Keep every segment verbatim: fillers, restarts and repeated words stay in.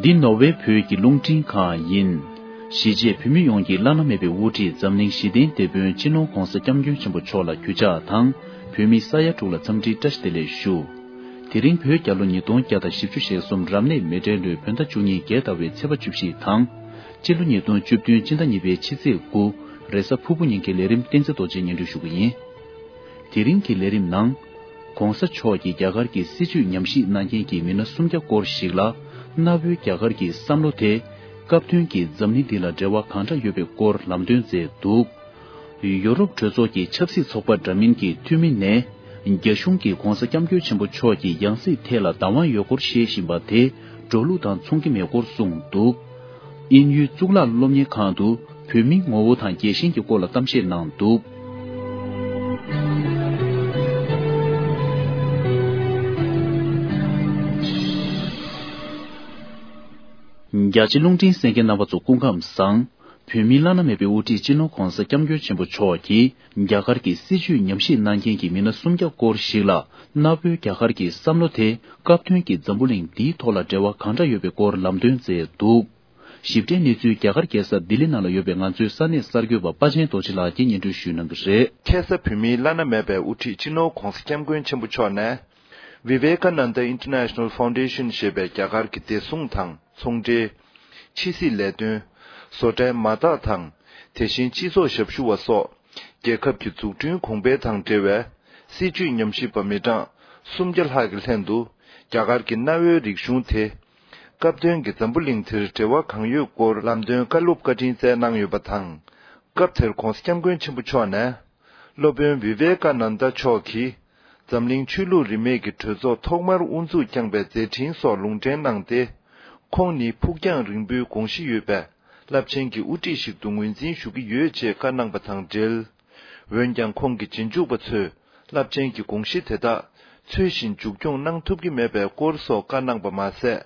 འདི་ནོར་ཝེ་བོད་ཀྱི་རླུང་འཕྲིན་ཁང་ཡིན། གཞིས་བྱེས་བོད་མི་ཡོངས་ཀྱི་བླ་ན་མེད་པའི་དབུ་ཁྲིད་འཛམ་གླིང་ཞི་བདེའི་དེད་དཔོན་སྤྱི་ནོར་༧གོང་ས་༧སྐྱབས་མགོན་ཆེན་པོ་མཆོག་ལ་གུས་ཕྱག་དང་། བོད་མི་ས་ཡ་དྲུག་ལ་འཚམས་འདྲིའི་བཀྲ་ཤིས་བདེ་ལེགས་ཞུ། དེ་རིང་བོད་རྒྱལ་ལོ་ཉིས་སྟོང་བརྒྱ་དང་བཞི་བཅུ་ཞེ་གསུམ་རབ་གནས་མེ་སྤྲེལ་ལོའི་བོད་ཟླ་བཅུ་གཉིས་བརྒྱད་ཟླ་བའི་ཚེས་པ་བཅུ་བཞི་དང་། སྤྱི་ལོ་ཉིས་སྟོང་བཅུ་བདུན་སྤྱི་ཟླ་གཉིས་པའི་ཕྱི་ཚེས་དགུ། རེས་གཟའ་ཕུར་བུ་ཉིན་གྱི་ལས་རིམ་བསྟན་འཛིན་རྡོ་རྗེས་སྙན་སྒྲོན་ཞུ་གི་ཡིན། དེ་རིང་གི་ལས་རིམ་ནང་། ༧གོང་ས་མཆོག་གིས་རྒྱ་གར་གྱི་སྲིད་བྱུས་ཉམས་ཞིབ་གནང་མཁན་གྱི་མི་སྣ་སུམ་བརྒྱ་སྐོར་ཞིག་ལ། གནའ་བོའི་རྒྱ་གར་གྱི་བསམ་བློ་དེ། སྐབས་དོན་གྱིས་འཛམ་གླིང་འདི་ལ་འབྲེལ་བ་གང་འདྲ་ཡོད་པའི་སྐོར་ལམ་སྟོན་མཛད་འདུག་ཡོ་རོབ་གྲོས་ཚོགས་ཀྱི་ཆབ་སྲིད་ཚོགས་པ་འདྲ་མིན་གྱི་འཐུས་མི་ནས། རྒྱ་གཞུང་གིས་༧གོང་ས་༧སྐྱབས་མགོན་ཆེན་པོ་མཆོག་གི་ཡང་སྲིད་ཐད་ལ་བདག་དབང་ཡོད་སྐོར་བཤད་བཞིན་པ་དེ། འགྲོ་ལུགས་དང་མཚུངས་ཀྱི་མེད་སྐོར་གསུངས་འདུག་དབྱིན་ཡུལ་གཙུག་ལག་སློབ་གཉེར་ཁང་དུ། བོད་མིའི་ངོ་བོ་དང་རྒྱལ་ཞེན་གྱི་སྐོར་ལ་གཏམ་བཤད་གནང་འདུག་རྒྱ་ཆེ་རླུང་འཕྲིན་གསན་མཁན་རྣམ་པ་ཚོ་སྐུ་ཁམས་བཟང་། བོད་མིའི་བླ་ན་མེད་པའི་དབུ་ཁྲིད་སྤྱི་ནོར་༧གོང་ས་༧སྐྱབས་མགོན་ཆེན་པོ་མཆོག་གིས། རྒྱ་གར་གྱི་སྲིད་བྱུས་ཉམས་ཞིབ་གནང་མཁན་གྱི་མི་སྣ་སུམ་བརྒྱ་སྐོར་ཞིག་ལ། གནའ་བོའི་རྒྱ་གར་གྱི་བསམ་བློ་དེ། སྐབས་དོན་གྱིས་འཛམ་བུ་གླིང་འདིའི་ཐོག་ལ་འབྲེལ་བ་གང་འདྲ་ཡོད་པའི་སྐོར་ལམ་སྟོན་མཛད་འདུག་ཞིབ་ཕྲའི་གནས་ཚུལ་རྒྱ་གར་རྒྱལ་ས་ལྡི་ལི་ནང་ལ་ཡོད་པའི་ང་ཚོའི་ས་གནས་གསར་འགོད་པ་དཔའ་ཆེན་རྡོ་རྗེ་ལགས་ཀྱིས་སྙན་སྒྲོན་ཞུ་གནང་གི་རེད། ཁ་སང་བོད་མིའི་བླ་ན་མེད་པའི་དབུ་ཁྲིད་སྤྱི་ནོར་༧གོང་ས་༧སྐྱབས་མགོན་ཆེན་པོ་མཆོག་ནས། Vivekananda International Foundation ཞེས་པའི་རྒྱ་གར་གྱི་བདེ་སྲུང་དང་ཚོང་འབྲེལ། ཕྱི་སྲིད་ལས་དོན། བཟོ་གྲྭའི་མ་དག་དང་། དེ་བཞིན་སྤྱི་ཚོགས་ཞབས་ཞུ་བ་སོགས། རྒྱལ་ཁབ་ཀྱི་འཛུགས་སྐྲུན་གོང་འཕེལ་དང་འབྲེལ་བའི། སྲིད་བྱུས་ཉམས་ཞིབ་པ་མི་གྲངས་སུམ་བརྒྱ་ལྷག་གི་ལྷན་དུ། རྒྱ་གར་གྱི་གནའ་བོའི་རིག་གཞུང་དེ། སྐབས་དོན་གྱི་འཛམ་བུ་གླིང་དེར་འབྲེལ་བ་གང་ཡོད་སྐོར་ལམ་སྟོན་བཀའ་སློབ་བཀའ་དྲིན་སྩལ་གནང་ཡོད་པ་དང་། སྐབས་དེར་༧གོང་ས་༧སྐྱབས་མགོན་ཆེན་པོ་མཆོག་ནས། སློབ་དཔོན་བི་ཝེ་ཀ་ནན་ད་མཆོག་གིས། འཛམ་གླིང་ཆོས་ལུགས་རིས་མེད་ཀྱི་གྲོས་ཚོགས་ཐོག་མར་དབུ་འཛུགས་བསྐྱངས་པའི་མཛད་འཕྲིན་སོགས་ལུང་འདྲེན་གནང་སྟེ། ཁོང་ནི་ཕུགས་རྒྱང་རིང་པོའི་དགོངས་གཞི་ཡོད་པའི་རླབས་ཆེན་གྱི་དབུ་ཁྲིད་ཞིག་ཏུ་ངོས་འཛིན་ཞུ་གི་ཡོད་ཅེས་བཀའ་གནང་པ་དང་འབྲེལ། འོན་ཀྱང་ཁོང་གི་རྗེས་འཇུག་པ་ཚོས་རླབས་ཆེན་གྱི་དགོངས་གཞི་དེ་དག་ཚུལ་བཞིན་མཇུག་སྐྱོང་གནང་ཐུབ་ཀྱི་མེད་པའི་སྐོར་སོགས་བཀའ་གནང་པ་མ་ཟད།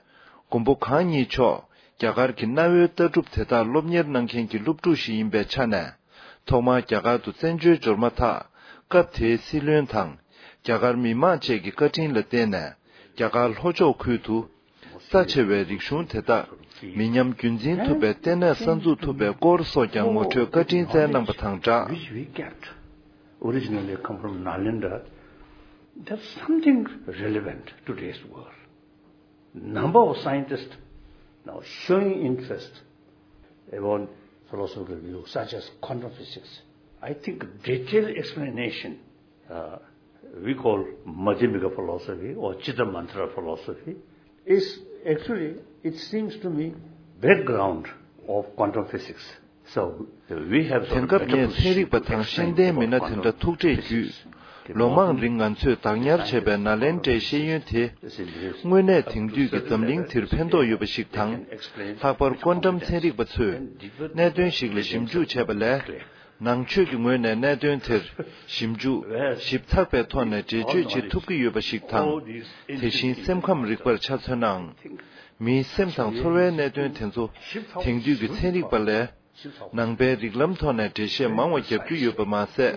མགོན་པོ་གང་ཉིད་མཆོག་རྒྱ་གར་གྱི་གནའ་བོའི་ལྟ་གྲུབ་དེ་དག་སློབ་གཉེར་གནང་མཁན་གྱི་སློབ་ཕྲུག་ཞིག་ཡིན་པའི་ཆ་ནས། ཐོག་མར་རྒྱ་གར་དུ་བཙན་བྱོལ་འབྱོར་མ་ཐག་སྐབས་དེའི་སྲིད་བློན་དང་། རྒྱ་གར་མི་མང་བཅས་ཀྱི་བཀའ་དྲིན་ལ་བརྟེན་ནས། རྒྱ་གར་ལྷོ་ཕྱོགས་ཁུལ་དུ། རྩ་ཆེ་བའི་རིག་གཞུང་དེ་དག་མི་ཉམས་རྒྱུན་འཛིན་ཐུབ་པའི་ལྟེ་གནས་གསར་འཛུགས་ཐུབ་པའི་སྐོར་སོགས་ཀྱང་ངོ་སྤྲོད་བཀའ་དྲིན་སྩལ་གནང་པ་དང་སྦྲགས། Which we kept originally come from Nalanda, that's something relevant to today's world. Number of scientists now showing interest about philosophical views such as quantum physics. I think detailed explanation, uh, we call Madhyamika philosophy or Chitta Mantra philosophy, is actually, it seems to me, background of quantum physics. So, we have sort of better position to explain about quantum physics. དེང་སྐབས་ངས་ཚན་རིག་པ་དང་ཤེས་ལྡན་མི་སྣ་དེ་འདྲ་ཐུག་འཕྲད་བརྒྱུད། ལོ་མང་རིང་ང་ཚོས་བདག་ཉར་བྱས་པའི་ནཱ་ལེནྡྲའི་ཤེས་ཡོན་དེ། དངོས་གནས་དེང་དུས་ཀྱི་འཛམ་གླིང་འདིར་ཕན་ཐོགས་ཡོད་པ་ཞིག་དང་། ལྷག་པར་ཀོན་ཊམ་ཚན་རིག་པ་ཚོས་གནད་དོན་ཞིག་ལ་ཞིབ་འཇུག་བྱས་པ་ལས། ནང་ཆོས་ཀྱི་ངོས་ནས་གནད་དོན་དེར་ཞིབ་འཇུག་ཞིབ་ཚགས་པའི་ཐོག་ནས་འགྲེལ་བརྗོད་བྱེད་ཐུབ་ཀྱི་ཡོད་པ་ཞིག་དང་། དེ་བཞིན་སེམས་ཁམས་རིག་པར་ཆ་མཚོན་ནའང་། མིའི་སེམས་དང་ཚོར་བའི་གནད་དོན་དེ་ཚོ་དེང་དུས་ཀྱི་ཚན་རིག་པ་ལས། ནང་པའི་རིགས་ལམ་ཐོག་ནས་འགྲེལ་བཤད་མང་བ་བརྒྱབ་རྒྱུ་ཡོད་པ་མ་ཟད།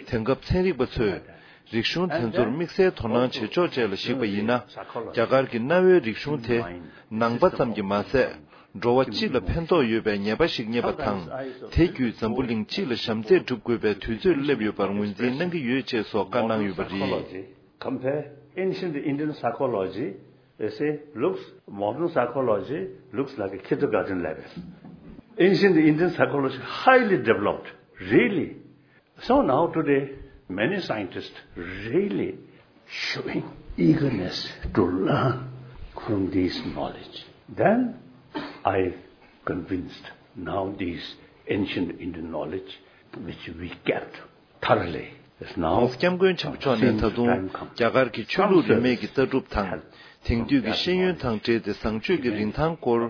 དེང་སྐབས་ཚན་རིག་པ་ཚོས་རིག་གཞུང་དེ་ཚོར་དམིགས་བསལ་དོ་སྣང་བྱེད་ཕྱོགས་བཅས་ལ་གཞིགས་པ་ཡིན་ན། རྒྱ་གར་གྱི་གནའ་བོའི་རིག་གཞུང་དེ་ནང་པ་ཙམ་གྱིས་མ་ཟད། འགྲོ་བ་སྤྱི་ལ་ཕན་ཐོགས་ཡོད་པའི་ངེས་པ་ཞིག་རྙེད་པ་དང་། དེ་བརྒྱུད་འཛམ་བུ་གླིང་སྤྱི་ལ་ཞབས་འདེགས་སྒྲུབ་དགོས་པའི་དུས་ཚོད་སླེབས་ཡོད་པར་ངོས་འཛིན་གནང་གི་ཡོད་ཅེས་སོགས་བཀའ་གནང་ཡོད་པ་རེད། Compare ancient Indian psychology, they say, looks, modern psychology looks like a kindergarten level. Ancient Indian psychology highly developed, really. So now today, many scientists really showing eagerness to learn from this knowledge. Then I convinced now this ancient Indian knowledge which we kept thoroughly is now. ༸གོང་ས་༸སྐྱབས་མགོན་ཆེན་པོ་མཆོག་ནས་ད་དུང་རྒྱ་གར་གྱི་ཆོས་ལུགས་རིས་མེད་ཀྱི་ལྟ་གྲུབ་དང་། དེང་དུས་ཀྱི་ཤེས་ཡོན་དང་འབྲེལ་ཏེ་བཟང་སྤྱོད་ཀྱི་རིན་ཐང་སྐོར་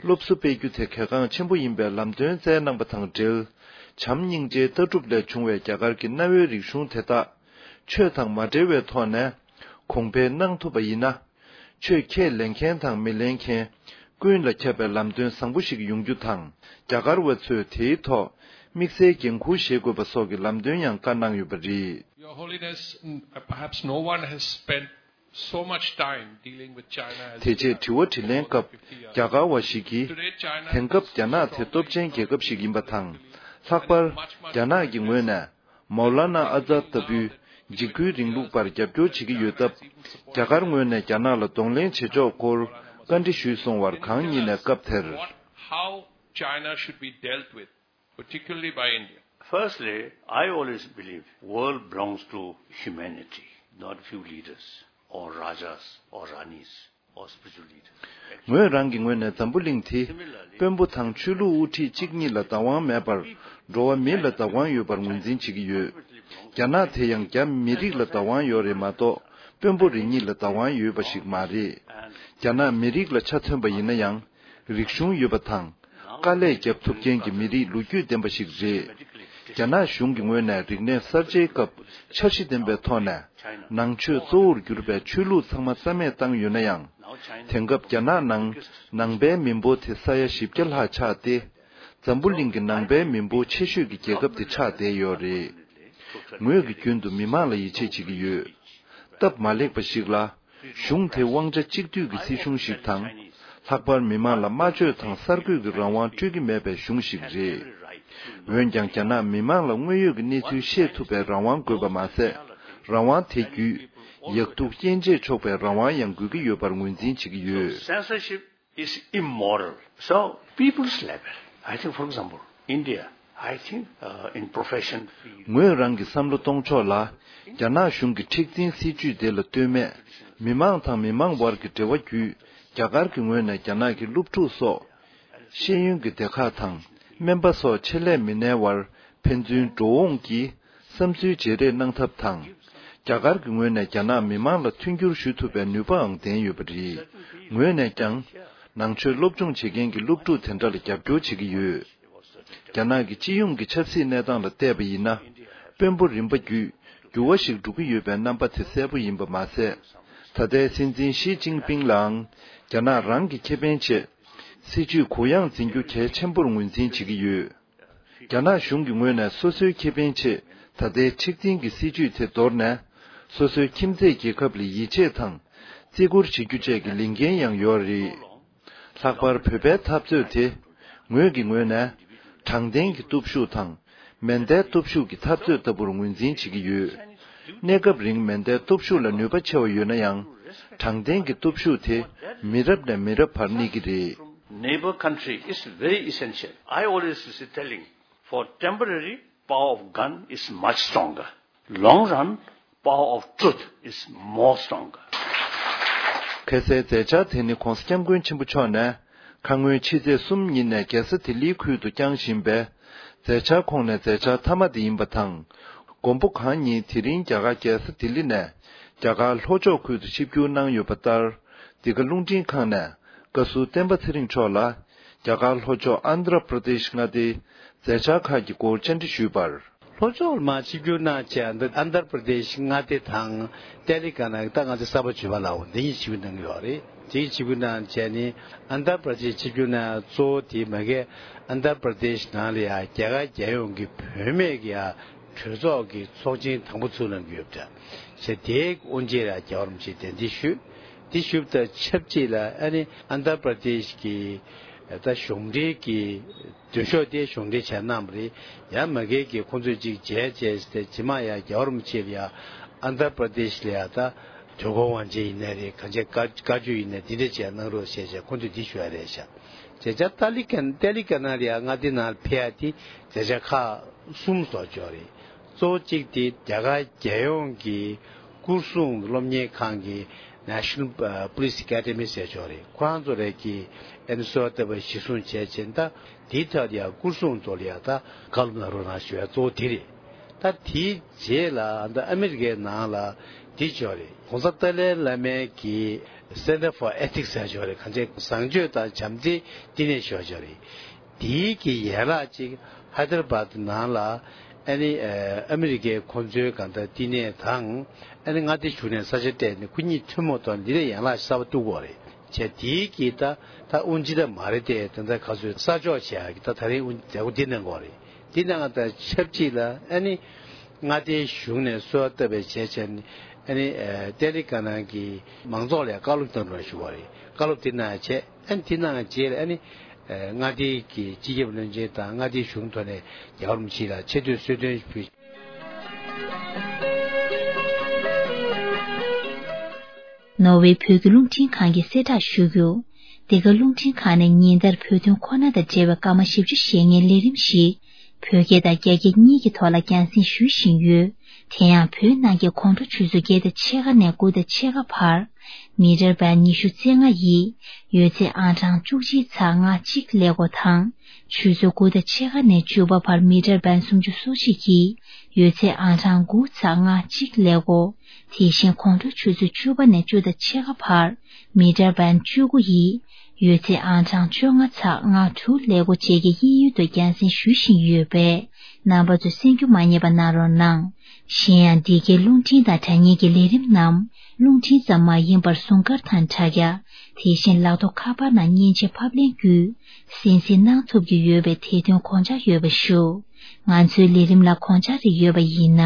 སློབ་གསོ་སྤེལ་རྒྱུ་དེ་གལ་འགངས་ཆེན་པོ་ཡིན་པའི་ལམ་སྟོན་སྩལ་གནང་པ་དང་འབྲེལ། བྱམས་སྙིང་རྗེའི་ལྟ་གྲུབ་ལས་བྱུང་བའི་རྒྱ་གར་གྱི་གནའ་བོའི་རིག་གཞུང་དེ་དག་ཆོས་དང་མ་འབྲེལ་བའི་ཐོག་ནས་གོང་འཕེལ་གནང་ཐུབ་པ་ཡིན་ན། ཆོས་ཁས་ལེན་མཁན་དང་མི་ལེན་མཁན་ཀུན་ལ་ཁྱབ་པའི་ལམ་སྟོན་བཟང་པོ་ཞིག་ཡོང་རྒྱུ་དང་། རྒྱ་གར་བ་ཚོས་དེའི་ཐོག་དམིགས་བསལ་འགན་འཁུར་བཞེས་དགོས་པ་སོགས་ཀྱི་ལམ་སྟོན་ཡང་བཀའ་གནང་ཡོད་པ་རེད། Your Holiness, n- perhaps no one has spent so much time dealing with China as དེ་རྗེས་དྲི་བ་དྲིས་ལན་སྐབས་རྒྱ་གར་བ་ཞིག་གིས། Today, China དེང་སྐབས་རྒྱ་ནག་དེ་སྟོབས་ཆེན་རྒྱལ་ཁབ་ཞིག་ཡིན་པ་དང་། ལྷག་པར་རྒྱ་ནག་གི་ངོས་ནས་མའོ་ལ་ན་ཨ་ཛཱད་ལྟ་བུའི་འཇིགས་སྐུལ་རིང་ལུགས་པར་རྒྱབ་སྐྱོར་བྱེད་ཀྱི་ཡོད་སྟབས། རྒྱ་གར་ངོས་ནས་རྒྱ་ནག་ལ་གདོང་ལེན་བྱེད་ཕྱོགས་སྐོར་བཀའ་འདྲི་ཞུས་སོང་བར། གང་ཉིད་ནས་སྐབས་དེར། What, how China should be dealt with, particularly by India. Firstly, I always believe world belongs to humanity, not few leaders or rajas or ranis or spiritual leaders. ངོས་རང་གི་ངོས་ནས་འཛམ་བུ་གླིང་དེ་དཔོན་པོ་དང་ཆོས་ལུགས་དབུ་ཁྲིད་གཅིག་གཉིས་ལ་བདག་དབང་མེད་པར། འགྲོ་བ་མི་ལ་བདག་དབང་ཡོད་པར་ངོས་འཛིན་བྱེད་ཀྱི་ཡོད། རྒྱ་ནག་དེ་ཡང་རྒྱ་མི་རིགས་ལ་བདག་དབང་ཡོད་རེད་མ་གཏོགས། དཔོན་པོ་རེ་གཉིས་ལ་བདག་དབང་ཡོད་པ་ཞིག་མ་རེད། རྒྱ་ནག་མི་རིགས་ལ་ཆ་མཚོན་པ་ཡིན་ན་ཡང་། རིག་གཞུང་ཡོད་པ་དང་། དཀའ་ལས་རྒྱབ་ཐུབ་མཁན་གྱི་མི་རིགས་ལོ་རྒྱུས་ལྡན་པ་ཞིག་རེད། རྒྱ་ནག་གཞུང་གི་ངོས་ནས་རིག་གནས་གསར་བརྗེའི་སྐབས་འཆར་གཞི་ལྡན་པའི་ཐོག་ནས། ནང་ཆོས་གཙོ་བོར་གྱུར་པའི་ཆོས་ལུགས་ཚང་མ་རྩ་མེད་བཏང་ཡོད་ན་ཡང་། དེང་སྐབས་རྒྱ་ནག་ནང་ནང་པའི་མི་འབོར་དེ་ས་ཡ་བཞི་བརྒྱ་ལྷག་ཆགས་ཏེ། འཛམ་བུ་གླིང་གི་ནང་པའི་མི་འབོར་ཆེ་ཤོས་ཀྱི་རྒྱལ་ཁབ་དེ་ཆགས་བསྡད་ཡོད་རེད། ངོས་ཀྱིས་རྒྱུན་དུ་མི་མང་ལ་ཡིད་ཆེས་བྱེད་ཀྱི་ཡོད། སྟབས་མ་ལེགས་པ་ཞིག་ལ། གཞུང་དེ་དབང་ཆ་གཅིག་སྡུད་ཀྱི་སྲིད་གཞུང་ཞིག་དང་། ལྷག་པར་མི་མང་ལ་སྨྲ་བརྗོད་དང་གསར་འགོད་ཀྱི་རང་དབང་སྤྲོད་ཀྱི་མེད་པའི་གཞུང་ཞིག་རེད། འོན་ཀྱང་། རྒྱ་ནག་མི་མང་ལ་དངོས་ཡོད་ཀྱི་གནས་ཚུལ་ཤེས་ཐུབ་པའི་རང་དབང་དགོས་པ་མ་ཟད། རང་དབང་དེ་བརྒྱུད། ཡག་སྡུག་དབྱེ་འབྱེད་ཆོག་པའི་རང་དབང་ཡང་དགོས་ཀྱི་ཡོད་པར་ངོས་འཛིན་བྱེད་ཀྱི་ཡོད། Censorship is immoral. So, people's level, I think, for example, India, I think, uh, in profession field, ངོས་རང་གི་བསམ་བློ་གཏོང་ཕྱོགས་ལ། རྒྱ་ནག་གཞུང་གི་མཁྲེགས་འཛིན་སྲིད་ཇུས་དེ་ལ་ལྟོས་མེད། མི་མང་དང་མི་མང་དབར་གྱི་འབྲེལ་བ་བརྒྱུད། རྒྱ་གར་གྱི་ངོས་ནས་རྒྱ་ནག་གི་སློབ་ཕྲུག་སོགས། ཤེས་ཡོན་གྱི་སྡེ་ཁག་དང་སྨན་པ་སོགས་ཆེད་ལས་མི་སྣའི་དབར་ཕན་ཚུན་འགྲོ་འོང་གིས་བསམ་ཚུལ་བརྗེ་རེས་གནང་ཐབས་དང་། རྒྱ་གར་གྱི་ངོས་ནས་རྒྱ་ནག་མི་མང་ལ་མཐུན་འགྱུར་ཞུ་ཐུབ་པའི་ནུས་པའང་ལྡན་ཡོད་པ་རེད། ངོས་ནས་ཀྱང་། ནང་ཆོས་སློབ་སྦྱོང་བྱེད་མཁན་གྱི་སློབ་ཕྲུག་དེ་འདྲ་ལ་རྒྱབ་སྐྱོར་བྱེད་ཀྱི་ཡོད། རྒྱ་ནག་གི་སྤྱི་ཡོངས་ཀྱི་ཆབ་སྲིད་གནས་སྟངས་ལ་བལྟས་པ་ཡིན་ན། དཔོན་པོ་རིམ་པ་བརྒྱུད་འགྱུར་བ་ཞིག་འགྲོ་གི་ཡོད་པའི་རྣམ་པ་དེ་གསལ་པོ་ཡིན་པ་མ་ཟད། ད་ལྟའི་སྲིད་འཛིན་ཞི་ཅིན་ཕིང་ལའང་རྒྱ་ནག་རང་གི་ཁེ་ཕན་ཆེད། སྲིད་ཇུས་གུ་ཡངས་འཛིན་རྒྱུ་གལ་ཆེན་པོར་ངོས་འཛིན་བྱེད་ཀྱི་ཡོད། རྒྱ་ནག་གཞུང་གི་ངོས་ནས་སོ་སོའི་ཁེ་ཕན་ཆེད་ད་ལྟའི་མཁྲེགས་འཛིན་གྱི་སྲིད་ཇུས་དེ་དོར་ནས། སོ་སོའི་ཁྱིམ་མཚེས་རྒྱལ་ཁབ་ལ་ཡིད་ཆེས་དང་བརྩི་བཀུར་བྱེད་རྒྱུ་བཅས་ཀྱི་ལས་འགན་ཡང་ཡོད་རེད། ལྷག་པར་བོད་པའི་འཐབ་རྩོད་དེ། ངོས་ཀྱི་ངོས་ནས། དྲང་བདེན་གྱི་སྟོབས་ཤུགས་དང་། མེ་མདའི་སྟོབས་ཤུགས་ཀྱི་འཐབ་རྩོད་ལྟ་བུར་ངོས་འཛིན་བྱེད་ཀྱི་ཡོད། གནས་སྐབས་རིང་མེ་མདའི་སྟོབས་ཤུགས་ལ་ནུས་པ་ཆེ་བ་ཡོད་ན་ཡང་། དྲང་བདེན་གྱི་སྟོབས་ཤུགས་དེ་མི་རབས་ནས་མི་རབས་བར་གནས་ཀྱི་རེད། Neighbor country is very essential. I always used to telling, for temporary, power of gun is much stronger. Long run, power of truth is more stronger. གལ་སྲིད་མཛད་འཆར་དེ་ནི་༧གོང་ས་༧སྐྱབས་མགོན་ཆེན་པོ་མཆོག་ནས་ཁ་སྔོན་ཕྱི་ཚེས་གསུམ་ཉིན་ནས་རྒྱལ་ས་ལྡི་ལིའི་ཁུལ་དུ་བསྐྱངས་བཞིན་པའི་མཛད་འཆར་ཁོངས་ནས་མཛད་འཆར་མཐའ་མ་དེ་ཡིན་པ་དང་། མགོན་པོ་གང་ཉིད་དེ་རིང་རྒྱ་གར་རྒྱལ་ས་ལྡི་ལི་ནས་རྒྱ་གར་ལྷོ་ཕྱོགས་ཁུལ་དུ་ཆིབས་བསྒྱུར་གནང་ཡོད་པ་ལྟར། འདི་ག་རླུང་འཕྲིན་ཁང་ནས་བཀའ་ཟུར་བསྟན་པ་ཚེ་རིང་མཆོག་ལ་རྒྱ་གར་ལྷོ་ཕྱོགས་ཨན་དྷ་ར་པྲ་དེཤ་མངའ་སྡེའི་མཛད་འཆར་ཁག་གི་སྐོར་བཅར་འདྲི་ཞུས་པར། ལྷོ་ཕྱོགས་ལ་མར་ཆིབས་བསྒྱུར་གནང་བྱས། ཨན་དྷ་ར་པྲ་དེཤ་མངའ་སྡེ་དང་ཏེ་ལི་ག་ན་གི་ད་ང་ཚོ་གསར་པ་བརྗོད་པ་ལ་འོ་འདི་གཉིས་ཆིབས་བསྒྱུར་གནང་གི་ཡོད་རེད། དེ་གི་ཆིབས་བསྒྱུར་གནང་བྱས་ནི་ཨན་དྷ་ར་པྲ་དེཤ་ཆིབས་བསྒྱུར་གནང་གཙོ་བོ་དེ་མ་གི་ཨན་དྷ་ར་པྲ་དེཤ་ནང་ལ་ཡ་རྒྱ་གར་རྒྱལ་ཡོངས་ཀྱི་བུད་མེད་ཀྱི་ཡ་གྲོས་ཚོགས་ཀྱི་ཚོགས་ཆེན་དང་པོ་ཚུགས་གནང་གི་ཡོད་པ་འདྲ། བྱས་དེའི་དབུ་འབྱེད་ལ་རྒྱལ་བ་རིན་པོ་ཆེས་གདན་འདྲེན་ཞུས། དེ་ཞུས་པ་དང་ཆབས་ཅིག་ལ་ཨ་ནི་ཨན་དྷ་ར་པྲ་དེཤ་གི་ད་གཞུང་འབྲེལ་གྱི་མདུན་ཤོག་དེ་གཞུང་འབྲེལ་བྱས་གནང་བ་རེད། ཡང་མ་གི་གི་ཁོང་ཚོས་ཅིག་མཇལ་བྱས་ཏེ་རྗེས་མ་ཡང་རྒྱལ་བ་རིན་པོ་ཆེ་ལ་ཡང་ཨན་དྷ་ར་པྲ་དེཤ་ལ་ཡང་ད་དོལ་པོ་དབང་ཆེན་ཡིན་ནའི་རེད། གང་ཅི་བཀའ་བཀའ་བརྒྱུད་ཡིན་ནའི་དེ་འདྲ་བྱས་གནང་རོགས་ཞེས་བྱས་ཁོང་ཚོས་འདི་ཞུ་བ་རེད་ཤག་བྱས་ཙང་ཏཱ་ལི་ཀན་ཏཱ་ལི་ཀ་ན་ལ་ཡང་མངའ་སྡེ་ནང་ལ་ཕེབས་ཡ་དེ་མཛད་འཆར་ཁག་གསུམ་བཟོ་ཆོག་རེད། གཙོ་བོ་གཅིག་དེ་རྒྱ་གར་རྒྱལ་ཡོངས་ཀྱི་སྐོར་སྲུང་སློབ་གཉེར་ཁང་གི་National Police Academy ཟེར་ཆོག་རེད། ཁོ་རང་ཚོ་རེད་ཀྱི་ཨ་ནི་གསོལ་བ་བཏབ་པ་གཞིར་བཟུང་བྱས་ཕྱིན། ད་དེའི་ཐད་ལ་ཡང་སྐོར་སྲུང་ཚོ་ལ་ཡང་ད་བཀའ་སློབ་གནང་རོགས་གནང་ཞུ་ཡ་གཙོ་བོ་དེ་རེད། ད་དེའི་རྗེས་ལ་ད་ཨ་མི་རི་ཀའི་ནང་ལ་དེ་ཆོག་རེད། ༸གོང་ས་ཏཱ་ལའི་བླ་མའི་གི་Center for Ethics ཟེར་ཆོག་རེད། གང་ཅི་བཟང་སྤྱོད་དང་བྱམས་བརྩེའི་བསྟི་གནས་ཞུ་ཡ་ཆོག་རེད། དེའི་གི་ཡན་ལག་ཅིག་ཧའི་དར་བཱད་ནང་ལ་ཨ་ནི་ཨ་མི་རི་ཀའི་ཁོང་ཚོའི་གང་ལྟར་བསྟི་གནས་དང་ཨ་ནི་མངའ་སྡེ་གཞུང་ནས་ས་ཆ་སྤྲད་ནས་ཁོ་གཉིས་ཐུན་མོང་ཐོག་འདི་ལ་ཡན་ལག་གསར་པ་གཏུག་དགོས་རེད། བྱས་དེའི་གི་ད་ད་དབུ་འབྱེད་ད་མ་རེད་དེ་ད་ལྟ་ག་ཚོད་གསར་འཇོག་བྱེད་ཡ་གི་ད་ད་རིང་དབུ་མཛད་སྒོ་འདི་གནང་དགོས་རེད། འདི་གནང་ད་ཆབས་ཅིག་ལ་ཨ་ནི། མངའ་སྡེའི་གཞུང་ནས་གསོལ་བ་བཏབ་པའི་བྱས་བྱས་ནས་ཨ་ནི་ཏེ་ལི་ཀ་ནང་གི་མང་ཚོགས་ལ་བཀའ་སློབ་གནང་རོགས་ཞུ་བ་རེད། བཀའ་སློབ་དེ་གནང་བྱས་ཨ་ནི་དེ་གནང་རྗེས་ལ་ཨ་ནི་མངའ་སྡེའི་གི་སྤྱི་ཁྱབ་བློན་ཆེན་དང་མངའ་སྡེའི་གཞུང་ཐོག་ནས་རྒྱལ་བ་རིན་པོ་ཆེ་ལ་ཆེ་བསྟོད་གསོལ་སྟོན་ཞུས། ནོར་ཝེ་བོད་ཀྱི་རླུང་འཕྲིན་ཁང་གིས་གསལ་བསྒྲགས་ཞུ་རྒྱུ། འདི་ག་རླུང་འཕྲིན་ཁང་ནས་ཉིན་ལྟར་བོད་དོན་ཁོ་ན་དང་འབྲེལ་བའི་སྐར་མ་བཞི་བཅུ་ཞེ་ལྔའི་ལས་རིམ་ཞིག་བོད་སྐད་དང་རྒྱ་སྐད་གཉིས་ཀྱི་ཐོག་ལ་རྒྱང་སྲིང་ཞུ་བཞིན་ཡོད། དེ་ཡང་བོད་ནང་གི་དགོང་དྲོ་ཆུ་ཚོད་བརྒྱད་དང་ཕྱེད་ཀ་ནས་དགུ་དང་ཕྱེད་ཀ་བར། མི་ཊར་བན་ཉི་ཤུ་རྩ་ལྔ་ཡི་ཡོད་ཚད་ཨང་གྲངས་བཅུ་གཅིག་ཚེག་ལྔ་གཅིག་ཀླད་ཀོར་དང་། ཆུ་ཚོད་དགུ་དང་ཕྱེད་ཀ་ནས་བཅུ་པ་བར་མི་ཊར་བན་སུམ་ཅུ་སོ་གཅིག་གི་ཡོད་ཚད་ཨང་གྲངས་དགུ་ཚེག་ལྔ་གཅིག་ཀླད་ཀོར། དེ་བཞིན་དགོང་དྲོ་ཆུ་ཚོད་བཅུ་པ་ནས་བཅུ་དང་ཕྱེད་ཀ་བར་མི་ཊར་བན་བཅུ་དགུ་ཡི་ཡོད་ཚད་ཨང་གྲངས་བཅོ་ལྔ་ཚེག་ལྔ་དྲུག་ཀླད་ཀོར་བཅས་ཀྱི་གཡས་གཡོན་དུ་རྒྱང་སྲིང་ཞུ་བཞིན་ཡོད་པས་རྣམ་པ་ཚོས་གསན་རྒྱུ་མ་བསྙེལ་བ་གནང་རོགས་གནང་། གཞན་ཡང་འདི་གའི་རླུང་འཕྲིན་དང་དྲ་བརྙན་གྱི་ལས་རིམ་རྣམས་རླུང་འཕྲིན་ཙམ་མ་ཡིན་པར་ཟུང་སྐར་དང་དྲ་རྒྱ། དེ་བཞིན་ལག་ཐོགས་ཁ་པར་ནང་མཉེན་ཆས་ཕབ་ལེན་བརྒྱུད་གསན་གཟིགས་གནང་ཐུབ་ཀྱི་ཡོད་པས་དེ་དོན་དགོངས་འཇགས་ཡོད་པ་ཞུ། ང་ཚོའི་ལས་རིམ་ལ་དགོངས་འཇགས་རེ་ཡོད་པ་ཡིན་ན།